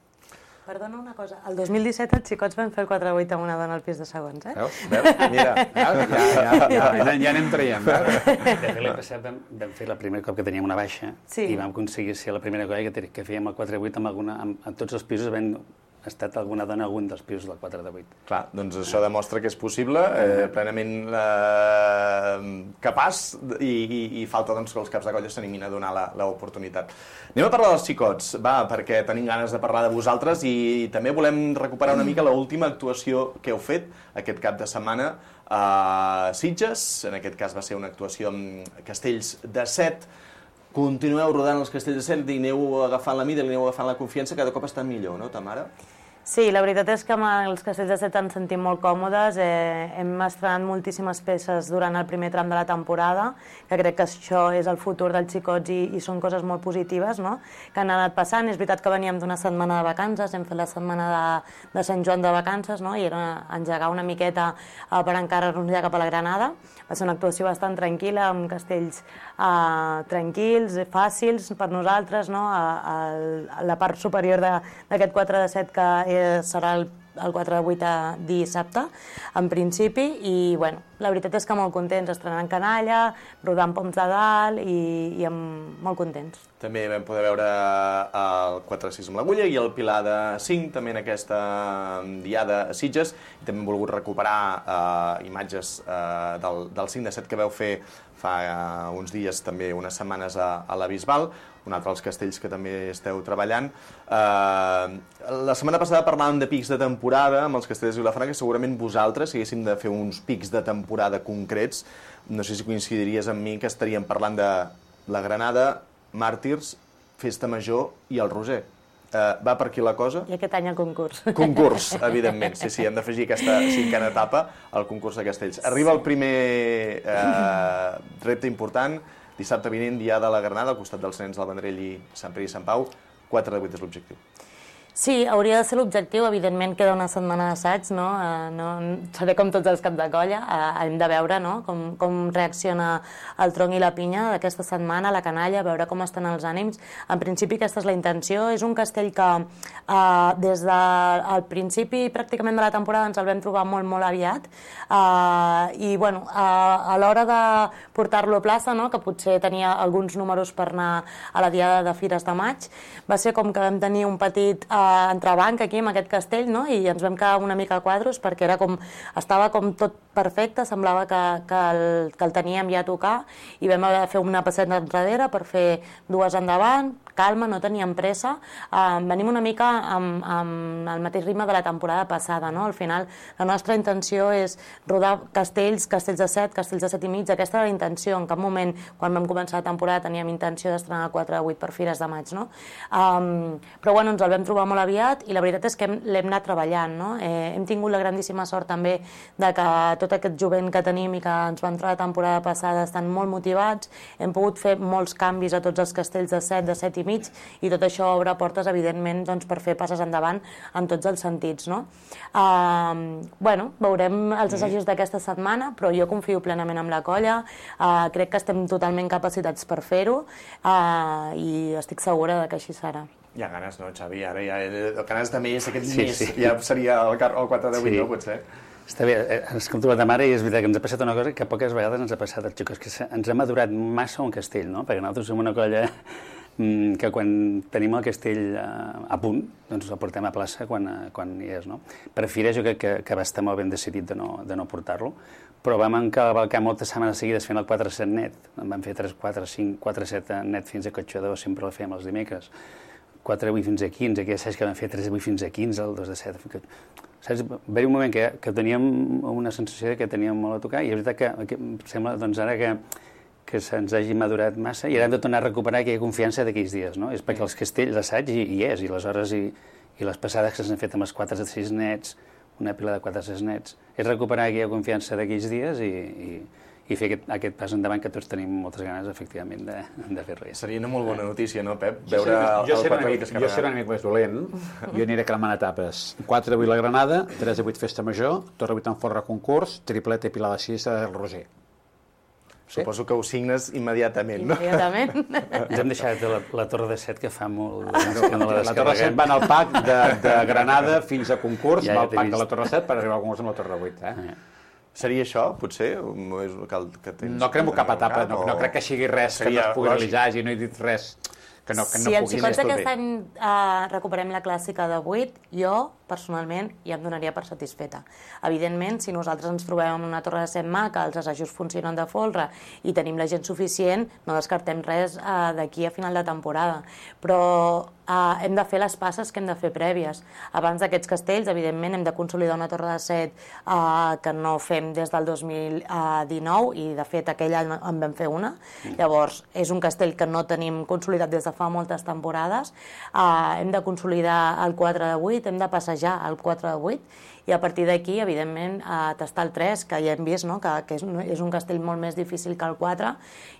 Perdona una cosa, el dos mil disset els xicots van fer el quatre vuit amb una dona al pis de segons, eh? Veus? Veus? Mira, ja, ja, ja, ja, ja anem traient. De fet, l'any passat vam, vam fer el primer cop que teníem una baixa sí. i vam aconseguir ser la primera colla que, que fèiem el quatre vuit amb alguna, amb, amb tots els pisos vam ha estat alguna dona a algun dels pisos del quatre de vuit. Clar, doncs això demostra que és possible, eh, plenament eh, capaç i, i, i falta doncs, que els caps de colla s'animin a donar l'oportunitat. Anem a parlar dels xicots, va, perquè tenim ganes de parlar de vosaltres i també volem recuperar una mica l'última actuació que heu fet aquest cap de setmana a Sitges. En aquest cas va ser una actuació amb Castells de Set. Continueu rodant els Castells de Set i aneu agafant la mida, aneu agafant la confiança, cada cop estan millor, no, Tamara? Sí, la veritat és que amb els Castells de Set ens sentim molt còmodes. Eh, hem estrenat moltíssimes peces durant el primer tram de la temporada, que crec que això és el futur dels xicots i, i són coses molt positives, no?, que han anat passant. És veritat que veníem d'una setmana de vacances, hem fet la setmana de, de Sant Joan de vacances, no?, i era engegar una miqueta eh, per encarar-nos ja cap a la Granada. Va ser una actuació bastant tranquil·la, amb castells eh, tranquils, fàcils per nosaltres, no?, a, a la part superior d'aquest quatre de set que serà el, el quatre de vuit a dissabte, en principi, i bueno, la veritat és que molt contents, estrenant canalla, rodant poms de dalt i, i amb, molt contents. També vam poder veure el quatre sis amb l'agulla i el Pilar de cinc, també en aquesta diada a Sitges, i també hem volgut recuperar eh, imatges eh, del, del cinc de set que vau fer fa eh, uns dies, també unes setmanes a, a la Bisbal, un altre dels castells que també esteu treballant. Eh, la setmana passada parlàvem de pics de temporada amb els castells de Vilafranca, que segurament vosaltres, si haguéssim de fer uns pics de temporada concrets, no sé si coincidiries amb mi que estaríem parlant de la Granada, Màrtirs, Festa Major i el Roser. Eh, va per aquí la cosa? I aquest any el concurs. Concurs, evidentment. Sí, sí, hem d'afegir aquesta cinquena etapa al concurs de castells. Arriba el primer eh, repte important, dissabte vinent, dia de la Granada, al costat dels nens del Vendrell i Sant Pere i Sant Pau. quatre de vuit és l'objectiu. Sí, hauria de ser l'objectiu. Evidentment queda una setmana d'assaig, no? Eh, no? Seré com tots els caps de colla. Eh, hem de veure, no?, com, com reacciona el tronc i la pinya d'aquesta setmana, la canalla, veure com estan els ànims. En principi aquesta és la intenció. És un castell que eh, des del principi pràcticament de la temporada ens el vam trobar molt, molt aviat. Eh, I, bueno, eh, a l'hora de portar-lo a plaça, no?, que potser tenia alguns números per anar a la diada de Fires de Maig, va ser com que vam tenir un petit eh, entrebanc aquí amb aquest castell, no?, i ens vam quedar una mica a quadros perquè era com, estava com tot perfecte, semblava que, que, el, que el teníem ja a tocar, i vam haver de fer una passeta enrere per fer dues endavant, calma, no teníem pressa. Uh, venim una mica amb, amb el mateix ritme de la temporada passada, no? Al final la nostra intenció és rodar castells, castells de set, castells de set i mig. Aquesta era la intenció. En cap moment, quan vam començar la temporada, teníem intenció d'estrenar el quatre de vuit per Fires de Maig, no? Um, però bueno, ens el vam trobar molt aviat i la veritat és que l'hem anat treballant, no? Eh, hem tingut la grandíssima sort també de que tot aquest jovent que tenim i que ens va entrar la temporada passada estan molt motivats. Hem pogut fer molts canvis a tots els castells de set, de set i mig, i tot això obre portes, evidentment, doncs, per fer passes endavant en tots els sentits, no? Uh, bueno, veurem els assajos d'aquesta setmana, però jo confio plenament en la colla, uh, crec que estem totalment capacitats per fer-ho, uh, i estic segura de que així serà. Hi ha ganes, no, Xavi? Ara ja, el ganes de més, aquest sí, mes, sí. ja seria el, el quatre de vuit, sí. No, potser? Està bé, ens hem trobat amb ara i és veritat que ens ha passat una cosa que poques vegades ens ha passat als xicots, que ens ha madurat massa un castell, no? Perquè nosaltres som una colla que quan tenim el castell a punt, doncs el portem a plaça quan, quan hi és, no? Per Fira jo crec que, que va estar molt ben decidit de no, de no portar-lo, però vam encavalcar moltes setmanes seguides fent el quatre set net, en vam fer tres, quatre, cinc, quatre set net fins a Cotxador, sempre el fèiem els dimecres, quatre vuit fins a quinze, que ja saps que vam fer tres vuit fins a quinze, el dos de set, saps? Va haver un moment que, que teníem una sensació que teníem molt a tocar i és veritat que, que sembla doncs ara que que se'ns hagi madurat massa i ara hem de tornar a recuperar aquella confiança d'aquells dies, no? És perquè els castells, l'assaig hi, hi és, i les hores i, i les passades que s'han fet amb els quatre de sis nets, una pila de quatre de sis nets, és recuperar aquella confiança d'aquells dies i, i, i fer aquest, aquest pas endavant que tots tenim moltes ganes, efectivament, de, de fer res. Seria una molt bona notícia, no, Pep? Jo Veure jo el seré quatre vuit jo seré un amic més dolent. Jo aniré cremant etapes. quatre de vuit la Granada, tres de vuit Festa Major, Torre vuit en Forra concurs, tripleta i Pilar de sis al Roser. Suposo que ho signes immediatament, no? Immediatament. Ens hem deixat la, la Torre de Set, que fa molt de temps que no la La Torre de Set descarreguem. va en el pack de, de Granada fins a concurs, Ja, va ja al t'he pack vist. de la Torre de Set per arribar al concurs amb la Torre vuit. Eh? Eh. Seria això, potser? O és el que, que tens No cremo cap etapa, no, o- no crec que sigui res que no Seria es pugui lògic. realitzar, i no he dit res que no, que no Si els pugui xicots ser. d'aquest any eh, recuperem la clàssica de vuit, jo, personalment, ja em donaria per satisfeta. Evidentment, si nosaltres ens trobem en una torre de set maca, els assajos funcionen de folre i tenim la gent suficient, no descartem res eh, d'aquí a final de temporada. Però eh, hem de fer les passes que hem de fer prèvies. Abans d'aquests castells, evidentment, hem de consolidar una torre de set eh, que no fem des del dos mil dinou, i de fet aquell any en vam fer una. Llavors, és un castell que no tenim consolidat des de fa moltes temporades. Eh, hem de consolidar el quatre de vuit, hem de passejar el quatre de vuit, i a partir d'aquí, evidentment, a tastar el tres, que ja hem vist, no? que, que és, un, és un castell molt més difícil que el quatre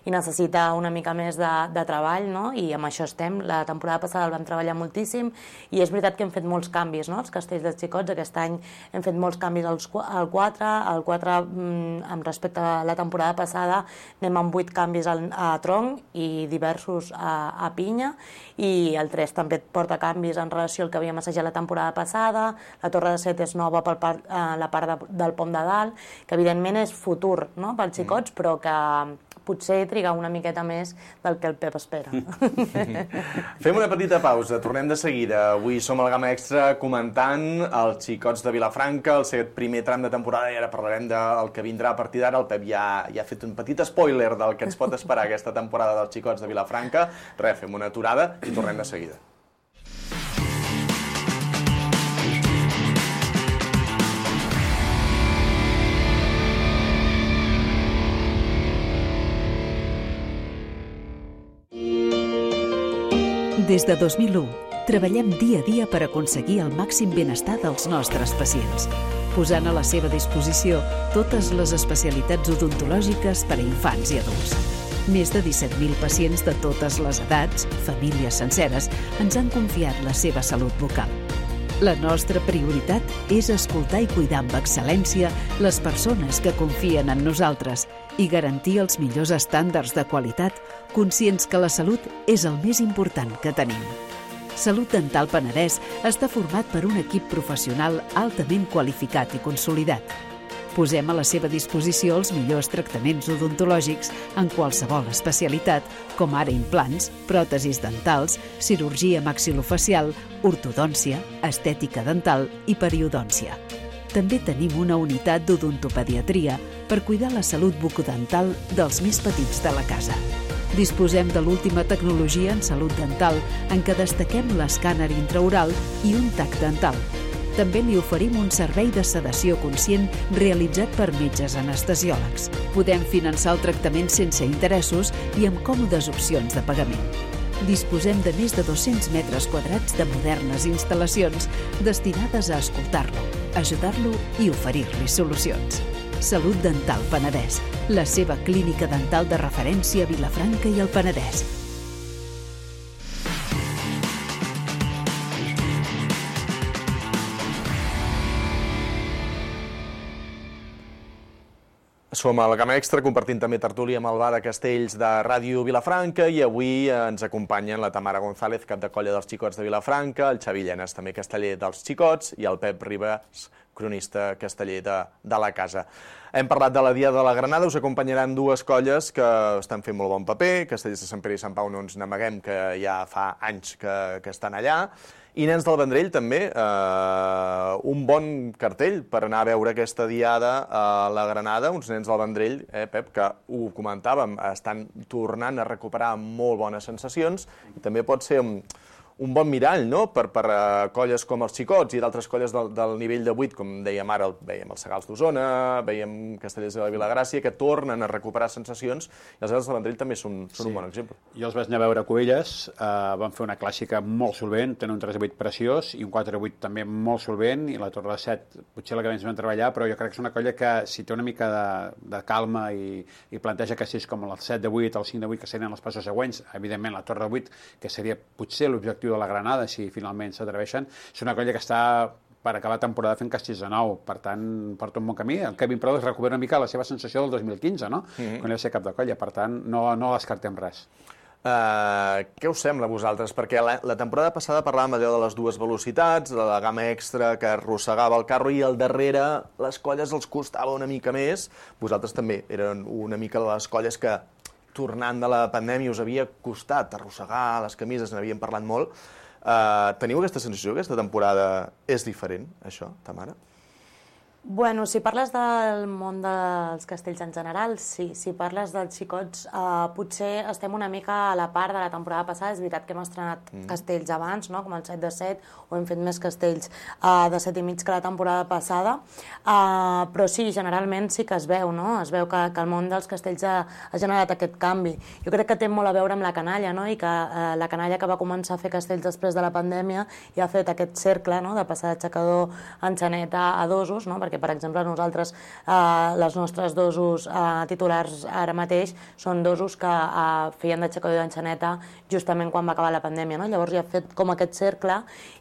i necessita una mica més de, de treball, no? I amb això estem. La temporada passada el vam treballar moltíssim i és veritat que hem fet molts canvis, no? Els castells dels xicots. Aquest any hem fet molts canvis als, al quatre, al quatre mm, amb respecte a la temporada passada anem amb vuit canvis al, a tronc i diversos a, a pinya, i el tres també porta canvis en relació al que havíem assajat la temporada passada. La torre de set és nova per part, eh, la part de, del pom de dalt, que evidentment és futur, no?, pels xicots, mm. però que potser triga una miqueta més del que el Pep espera. Fem una petita pausa, tornem de seguida. Avui som al Gamma Extra comentant els xicots de Vilafranca, el seu primer tram de temporada, i ara parlarem del que vindrà a partir d'ara. El Pep ja, ja ha fet un petit spoiler del que ens pot esperar aquesta temporada dels xicots de Vilafranca. Res, fem una aturada i tornem de seguida. Des de dos mil u, treballem dia a dia per aconseguir el màxim benestar dels nostres pacients, posant a la seva disposició totes les especialitats odontològiques per a infants i adults. Més de disset mil pacients de totes les edats, famílies senceres, ens han confiat la seva salut bucal. La nostra prioritat és escoltar i cuidar amb excel·lència les persones que confien en nosaltres i garantir els millors estàndards de qualitat, conscients que la salut és el més important que tenim. Salut Dental Penedès està format per un equip professional altament qualificat i consolidat. Posem a la seva disposició els millors tractaments odontològics en qualsevol especialitat, com ara implants, pròtesis dentals, cirurgia maxilofacial, ortodòncia, estètica dental i periodòncia. També tenim una unitat d'odontopediatria per cuidar la salut bucodental dels més petits de la casa. Disposem de l'última tecnologia en salut dental, en què destaquem l'escàner intraoral i un tac dental. També li oferim un servei de sedació conscient realitzat per metges anestesiòlegs. Podem finançar el tractament sense interessos i amb còmodes opcions de pagament. Disposem de més de dos-cents metres quadrats de modernes instal·lacions destinades a escoltar-lo, ajudar-lo i oferir-li solucions. Salut Dental Penedès, la seva clínica dental de referència a Vilafranca i el Penedès. Som al Gamma Extra, compartint també tertúlia amb el bar de Castells de Ràdio Vilafranca, i avui ens acompanyen la Tamara González, cap de colla dels xicots de Vilafranca, el Xavi Llenes, també casteller dels xicots, i el Pep Ribas, cronista casteller de, de la casa. Hem parlat de la Diada de la Granada, us acompanyaran dues colles que estan fent molt bon paper, Castellers de Sant Pere i Sant Pau no ens n'amaguem, que ja fa anys que, que estan allà, i Nens del Vendrell també, eh, un bon cartell per anar a veure aquesta Diada a la Granada, uns Nens del Vendrell, eh, Pep, que ho comentàvem, estan tornant a recuperar molt bones sensacions, i també pot ser un, un bon mirall, no?, per, per uh, colles com els Xicots i d'altres colles del, del nivell de vuit, com dèiem ara, el, veiem els Segals d'Osona, veiem Castellers de la Vilagràcia, que tornen a recuperar sensacions, i els Edes del Vendrell també són, són sí. un bon exemple. Jo els vaig anar a veure a Cubelles, eh, van fer una clàssica molt solvent, tenen un tres a vuit preciós i un quatre a vuit també molt solvent, i la Torre de set potser la que menys van treballar, però jo crec que és una colla que si té una mica de, de calma i, i planteja castells com el set de vuit, el cinc de vuit, que serien els passos següents, evidentment la Torre de vuit, que seria potser l'objectiu de la Granada, si finalment s'atreveixen, és una colla que està per acabar temporada fent castells de nou, per tant, porta un bon camí. El Kevin Prados recupera una mica la seva sensació del dos mil quinze, no? Mm-hmm. Quan ell va ser cap de colla, per tant, no, no descartem res. Uh, què us sembla a vosaltres? Perquè la, la temporada passada parlàvem allò de les dues velocitats, de la gamma extra que arrossegava el carro, i al darrere les colles els costava una mica més. Vosaltres també eren una mica les colles que, tornant de la pandèmia, us havia costat arrossegar les camises, n'havíem parlat molt. Uh, teniu aquesta sensació que aquesta temporada és diferent, això, Tamara? Bueno, si parles del món dels castells en general, sí. Si parles dels xicots, eh, potser estem una mica a la part de la temporada passada. És veritat que hem estrenat mm. castells abans, no?, com el set de set, o hem fet més castells eh, de set i mig que la temporada passada, eh, però sí, generalment sí que es veu, no? Es veu que, que el món dels castells ha, ha generat aquest canvi. Jo crec que té molt a veure amb la canalla, no?, i que eh, la canalla que va començar a fer castells després de la pandèmia i ha fet aquest cercle, no?, de passar d'aixecador en xaneta a dosos, no?, perquè, per exemple, nosaltres, eh, les nostres dosos eh, titulars ara mateix són dosos que eh, feien d'aixecador d'enxaneta justament quan va acabar la pandèmia, no? Llavors ja ha fet com aquest cercle,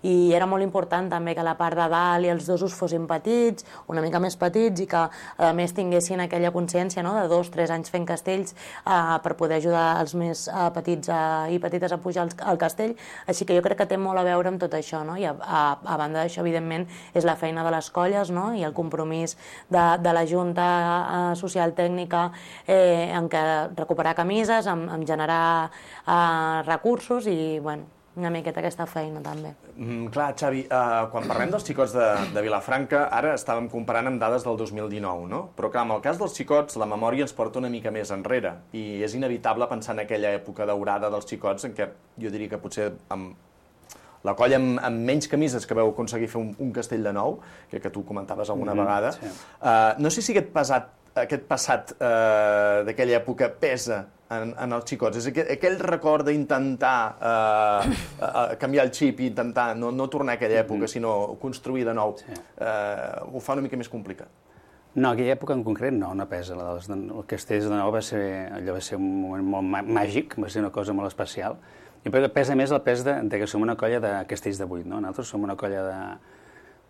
i era molt important també que la part de dalt i els dosos fossin petits, una mica més petits, i que a més tinguessin aquella consciència, no?, de dos, tres anys fent castells eh, per poder ajudar els més eh, petits eh, i petites a pujar al, al castell. Així que jo crec que té molt a veure amb tot això, no? I a, a, a banda d'això, evidentment, és la feina de les colles, no?, i el compromís de, de la Junta eh, Social Tècnica eh, en què recuperar camises, en, en generar eh, recursos i, bueno, una miqueta aquesta feina també. Mm, clar, Xavi, uh, quan parlem dels xicots de, de Vilafranca, ara estàvem comparant amb dades del dos mil dinou, no? Però clar, en el cas dels xicots, la memòria ens porta una mica més enrere, i és inevitable pensar en aquella època daurada dels xicots en què jo diria que potser amb la colla amb, amb menys camises que vau aconseguir fer un, un castell de nou, que, que tu comentaves alguna mm, vegada. Sí. Uh, no sé si aquest passat, aquest passat uh, d'aquella època pesa en, en els xicots. És aquell, aquell record d'intentar uh, uh, canviar el xip i intentar no, no tornar a aquella època, mm. sinó construir de nou. Sí. Uh, ho fa una mica més complicat. No, aquella època en concret no, no pesa. El castell de nou va ser, allò va ser un moment molt màgic, va ser una cosa molt especial. I pesa més el pes de, de que som una colla de castells de vuit, no? Nosaltres som una colla de,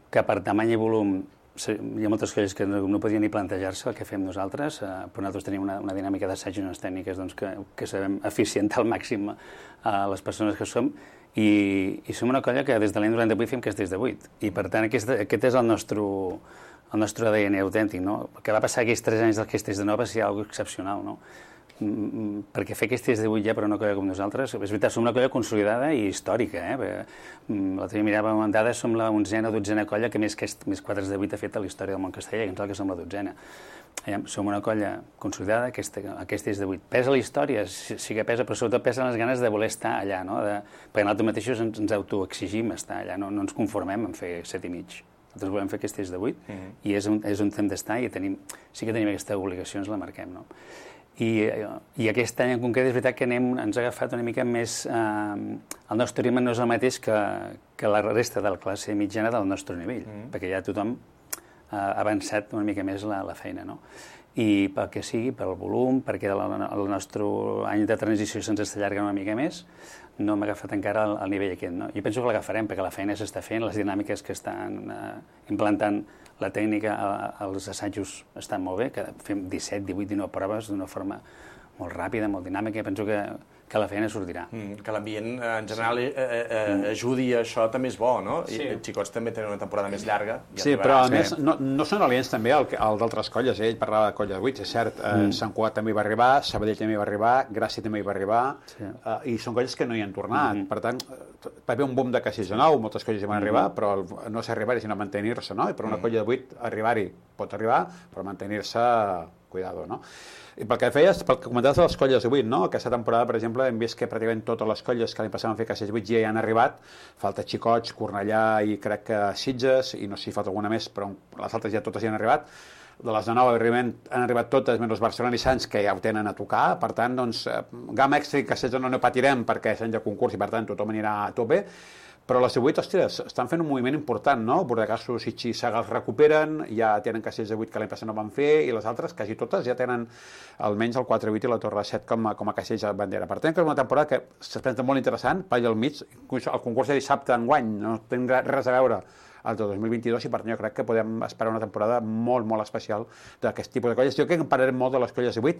que per tamany i volum hi ha moltes colles que no, no podien ni plantejar-se el que fem nosaltres, eh, però nosaltres tenim una, una dinàmica d'assaig i unes tècniques doncs, que, que sabem eficientar al màxim a les persones que som, i, i som una colla que des de l'any noranta-vuit fem castells de vuit, i per tant aquest, aquest és el nostre, el nostre A D N autèntic, no? El que va passar aquells tres anys dels castells de nou va ser una cosa excepcional, no? Perquè fer castells de vuit ja per una colla com nosaltres, és veritat, som una colla consolidada i històrica, eh? L'altre dia miràvem en dades, som la onzena o dotzena colla que més, més quadres de vuit ha fet a la història del món casteller, que ens que som la dotzena. Som una colla consolidada, castells de vuit. Pesa la història, sí que pesa, però sobretot pesen les ganes de voler estar allà, no? De, perquè nosaltres mateixos ens, ens autoexigim estar allà, no, no ens conformem en fer set i mig. Nosaltres volem fer castells de vuit, mm-hmm. i és on, és on hem d'estar, i tenim, sí que tenim aquesta obligació, ens la marquem, no? I, i aquest any en concret és veritat que anem, ens ha agafat una mica més... Eh, el nostre ritme no és el mateix que, que la resta de la classe mitjana del nostre nivell, mm. perquè ja tothom ha avançat una mica més la, la feina, no? I pel que sigui, pel volum, perquè el, el nostre any de transició se'ns està allargant una mica més, no hem agafat encara el, el nivell aquest, no? Jo penso que l'agafarem perquè la feina s'està fent, les dinàmiques que estan eh, implantant la tècnica, els assajos estan molt bé, que fem disset, divuit, dinou proves d'una forma molt ràpida, molt dinàmica, i penso que, que la feina sortirà. Mm, que l'ambient en general sí. eh, eh, ajudi a això també és bo, no? Sí. I els xicots també tenen una temporada més llarga. Ja sí, però a més no, no són aliens també al, al d'altres colles, eh? Ell parlava de colla de vuit, és cert, eh, mm. Sant Cugat també hi va arribar, Sabadell també hi va arribar, Gràcia també hi va arribar, sí. eh, i són colles que no hi han tornat, mm. per tant, va haver un boom de castells de nou, moltes colles hi van mm. arribar, però el, no s'arribar-hi, sinó mantenir-se, no? I per una mm. colla de vuit arribar-hi pot arribar, però mantenir-se cuidado, no? I pel que feies, pel que comentaves de les colles de vuit, no? Aquesta temporada, per exemple, hem vist que pràcticament totes les colles que l'any passat van fer Castells vuit ja hi han arribat. Falta Xicots, Cornellà i crec que Sitges, i no sé si falta alguna més, però les altres ja totes hi han arribat. De les de nou, han arribat totes, menys Barcelona i Sants, que ja ho tenen a tocar. Per tant, doncs, Gamma Extra i Castells no, no patirem perquè és any de concurs i, per tant, tothom anirà a tope. Però les de vuit, ostres, estan fent un moviment important, no? Bordecassos i Saga els recuperen, ja tenen Castells de vuit que l'any passat no van fer, i les altres, quasi totes, ja tenen almenys el quatre vuit i la Torre set com a, com a Castells de bandera. Per tant, que és una temporada que s'espera molt interessant, per allà al mig, el concurs de dissabte enguany, no té res a veure el de dos mil vint-i-dos, i per tant jo crec que podem esperar una temporada molt, molt especial d'aquest tipus de colles. Jo crec que en parlarem molt de les colles de vuit,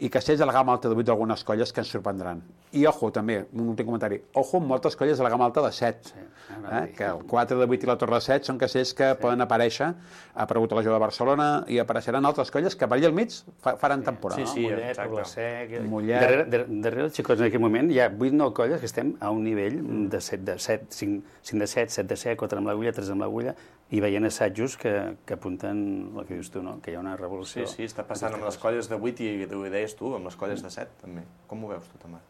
i Castells de la gamma alta de vuit d'algunes colles que ens sorprendran. I, ojo, també, un últim comentari, ojo amb moltes colles de la gamma alta de set, sí, eh? Que el quatre de vuit i la Torre set són castells que sí. Poden aparèixer, ha aparegut a la Jove de Barcelona, i apareixeran altres colles que per allà al mig faran sí. temporada. Sí, sí, Mollet, Poblasec... Mollet... Darrere, darrere, darrere els xicots en aquest moment hi ha vuit nou colles que estem a un nivell de set de set, cinc de set, set de set, quatre amb l'agulla, tres amb l'agulla, i veient assajos que, que apunten el que dius tu, no? Que hi ha una revolució. Sí, sí, està passant amb les colles de vuit i ho deies tu, amb les colles de set, també. Com ho veus tu, Tamara?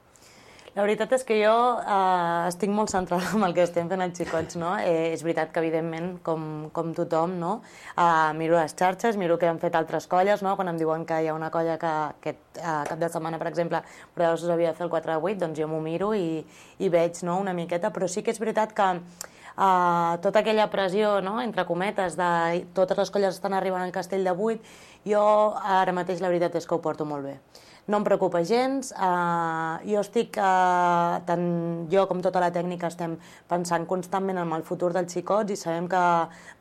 La veritat és que jo eh, estic molt centrada en el que estem fent els xicots, no? Eh, és veritat que, evidentment, com, com tothom, no? Eh, miro les xarxes, miro què han fet altres colles, no? Quan em diuen que hi ha una colla que aquest eh, cap de setmana, per exemple, però us havia de fer el quatre de vuit, doncs jo m'ho miro i, i veig, no?, una miqueta, però sí que és veritat que Uh, tota aquella pressió, no?, entre cometes, de totes les colles estan arribant al Castell de vuit, jo ara mateix la veritat és que ho porto molt bé. No em preocupa gens, uh, jo estic, uh, tant jo com tota la tècnica estem pensant constantment en el futur dels xicots i sabem que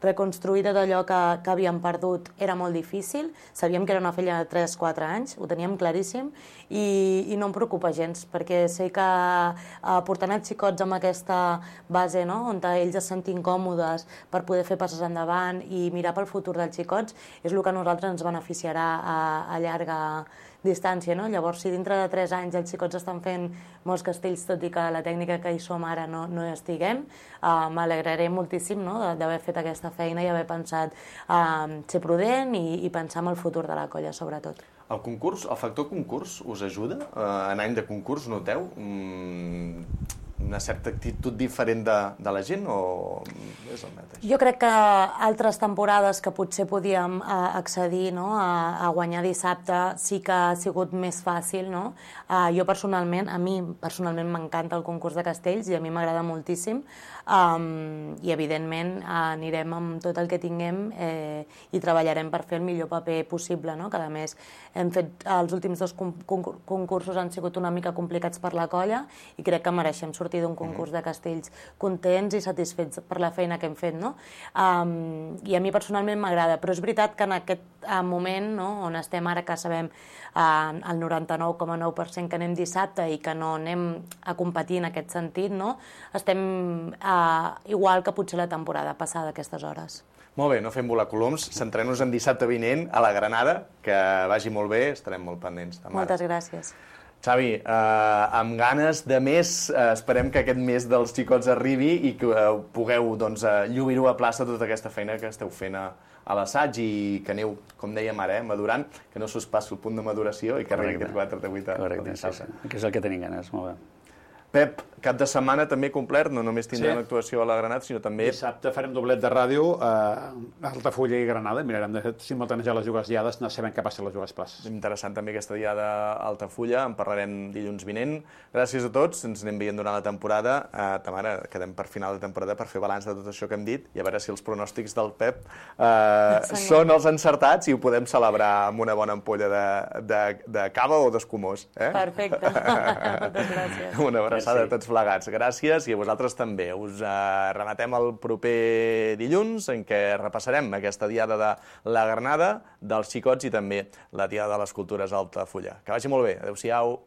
reconstruir tot allò que, que havíem perdut era molt difícil, sabíem que era una feina de tres quatre anys, ho teníem claríssim, i, i no em preocupa gens, perquè sé que uh, portant els xicots amb aquesta base, no?, on ells es sentin còmodes per poder fer passes endavant i mirar pel futur dels xicots, és el que a nosaltres ens beneficiarà a, a llarga distància, no? Llavors, si dintre de tres anys els xicots estan fent molts castells, tot i que la tècnica que hi som ara no, no hi estiguem, uh, m'alegraré moltíssim, no?, d'haver fet aquesta feina i haver pensat uh, ser prudent i, i pensar en el futur de la colla, sobretot. El concurs, el factor concurs us ajuda? Uh, en any de concurs, noteu? Mm, una certa actitud diferent de, de la gent o és el mateix? Jo crec que altres temporades que potser podíem eh, accedir, no?, a, a guanyar dissabte sí que ha sigut més fàcil, no? Eh, jo personalment, a mi personalment m'encanta el concurs de castells i a mi m'agrada moltíssim, um, i evidentment eh, anirem amb tot el que tinguem eh, i treballarem per fer el millor paper possible, no? Que a més hem fet, els últims dos concursos han sigut una mica complicats per la colla i crec que mereixem sortir d'un concurs de castells contents i satisfets per la feina que hem fet, no? Um, I a mi personalment m'agrada, però és veritat que en aquest uh, moment, no?, on estem ara, que sabem uh, el noranta-nou coma nou per cent que anem dissabte i que no anem a competir en aquest sentit, no?, estem uh, igual que potser la temporada passada a aquestes hores. Molt bé, no fem volar coloms, centrem-nos en dissabte vinent a la Granada, que vagi molt bé, estarem molt pendents. Tamara. Moltes gràcies. Xavi, eh, amb ganes de més, eh, esperem que aquest mes dels xicots arribi i que eh, pugueu doncs, eh, lluir-ho a plaça tota aquesta feina que esteu fent a, a l'assaig i que aneu, com dèiem ara, eh, madurant, que no s'us passi el punt de maduració i que arribi aquest quatre de vuit. Correcte, sí, sí. Que és el que tenim ganes, molt bé. Pep, cap de setmana també complert, no només tindrem sí. actuació a la Granada, sinó també... Dissabte farem doblet de ràdio a Altafulla i Granada, mirarem de simultanejar les dues diades, no sabem què passa a les dues places. Interessant també aquesta diada a Altafulla, en parlarem dilluns vinent. Gràcies a tots, ens anem veient durant la temporada. Uh, Tamara, quedem per final de temporada per fer balanç de tot això que hem dit i a veure si els pronòstics del Pep uh, són els encertats i ho podem celebrar amb una bona ampolla de, de, de cava o d'escumós. Eh? Perfecte, moltes gràcies. Una abraçada a tots plegats. Gràcies i a vosaltres també. Us eh, rematem el proper dilluns en què repassarem aquesta diada de la Granada, dels xicots i també la diada de les cultures a Altafulla. Que vagi molt bé. Adéu-siau.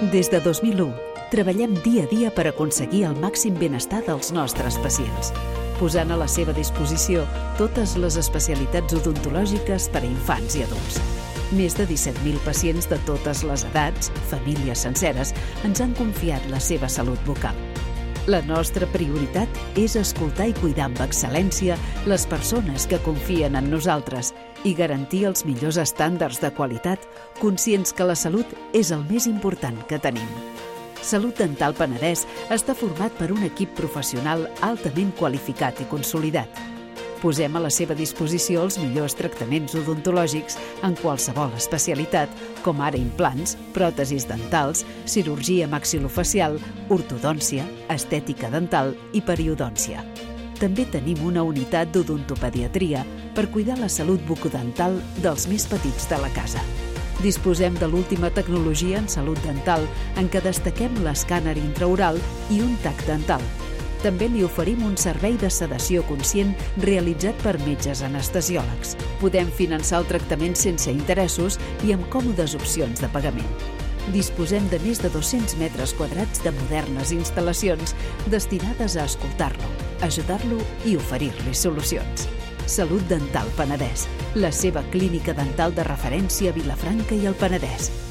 Des de dos mil u, treballem dia a dia per aconseguir el màxim benestar dels nostres pacients. posant a la seva disposició totes les especialitats odontològiques per a infants i adults. Més de disset mil pacients de totes les edats, famílies senceres, ens han confiat la seva salut bucal. La nostra prioritat és escoltar i cuidar amb excel·lència les persones que confien en nosaltres i garantir els millors estàndards de qualitat, conscients que la salut és el més important que tenim. Salut Dental Penedès està format per un equip professional altament qualificat i consolidat. Posem a la seva disposició els millors tractaments odontològics en qualsevol especialitat, com ara implants, pròtesis dentals, cirurgia maxilofacial, ortodòncia, estètica dental i periodòncia. També tenim una unitat d'odontopediatria per cuidar la salut bucodental dels més petits de la casa. Disposem de l'última tecnologia en salut dental, en què destaquem l'escàner intraoral i un tac dental. També li oferim un servei de sedació conscient realitzat per metges anestesiòlegs. Podem finançar el tractament sense interessos i amb còmodes opcions de pagament. Disposem de més de dos-cents metres quadrats de modernes instal·lacions destinades a escoltar-lo, ajudar-lo i oferir-li solucions. Salut Dental Penedès, la seva clínica dental de referència a Vilafranca i el Penedès.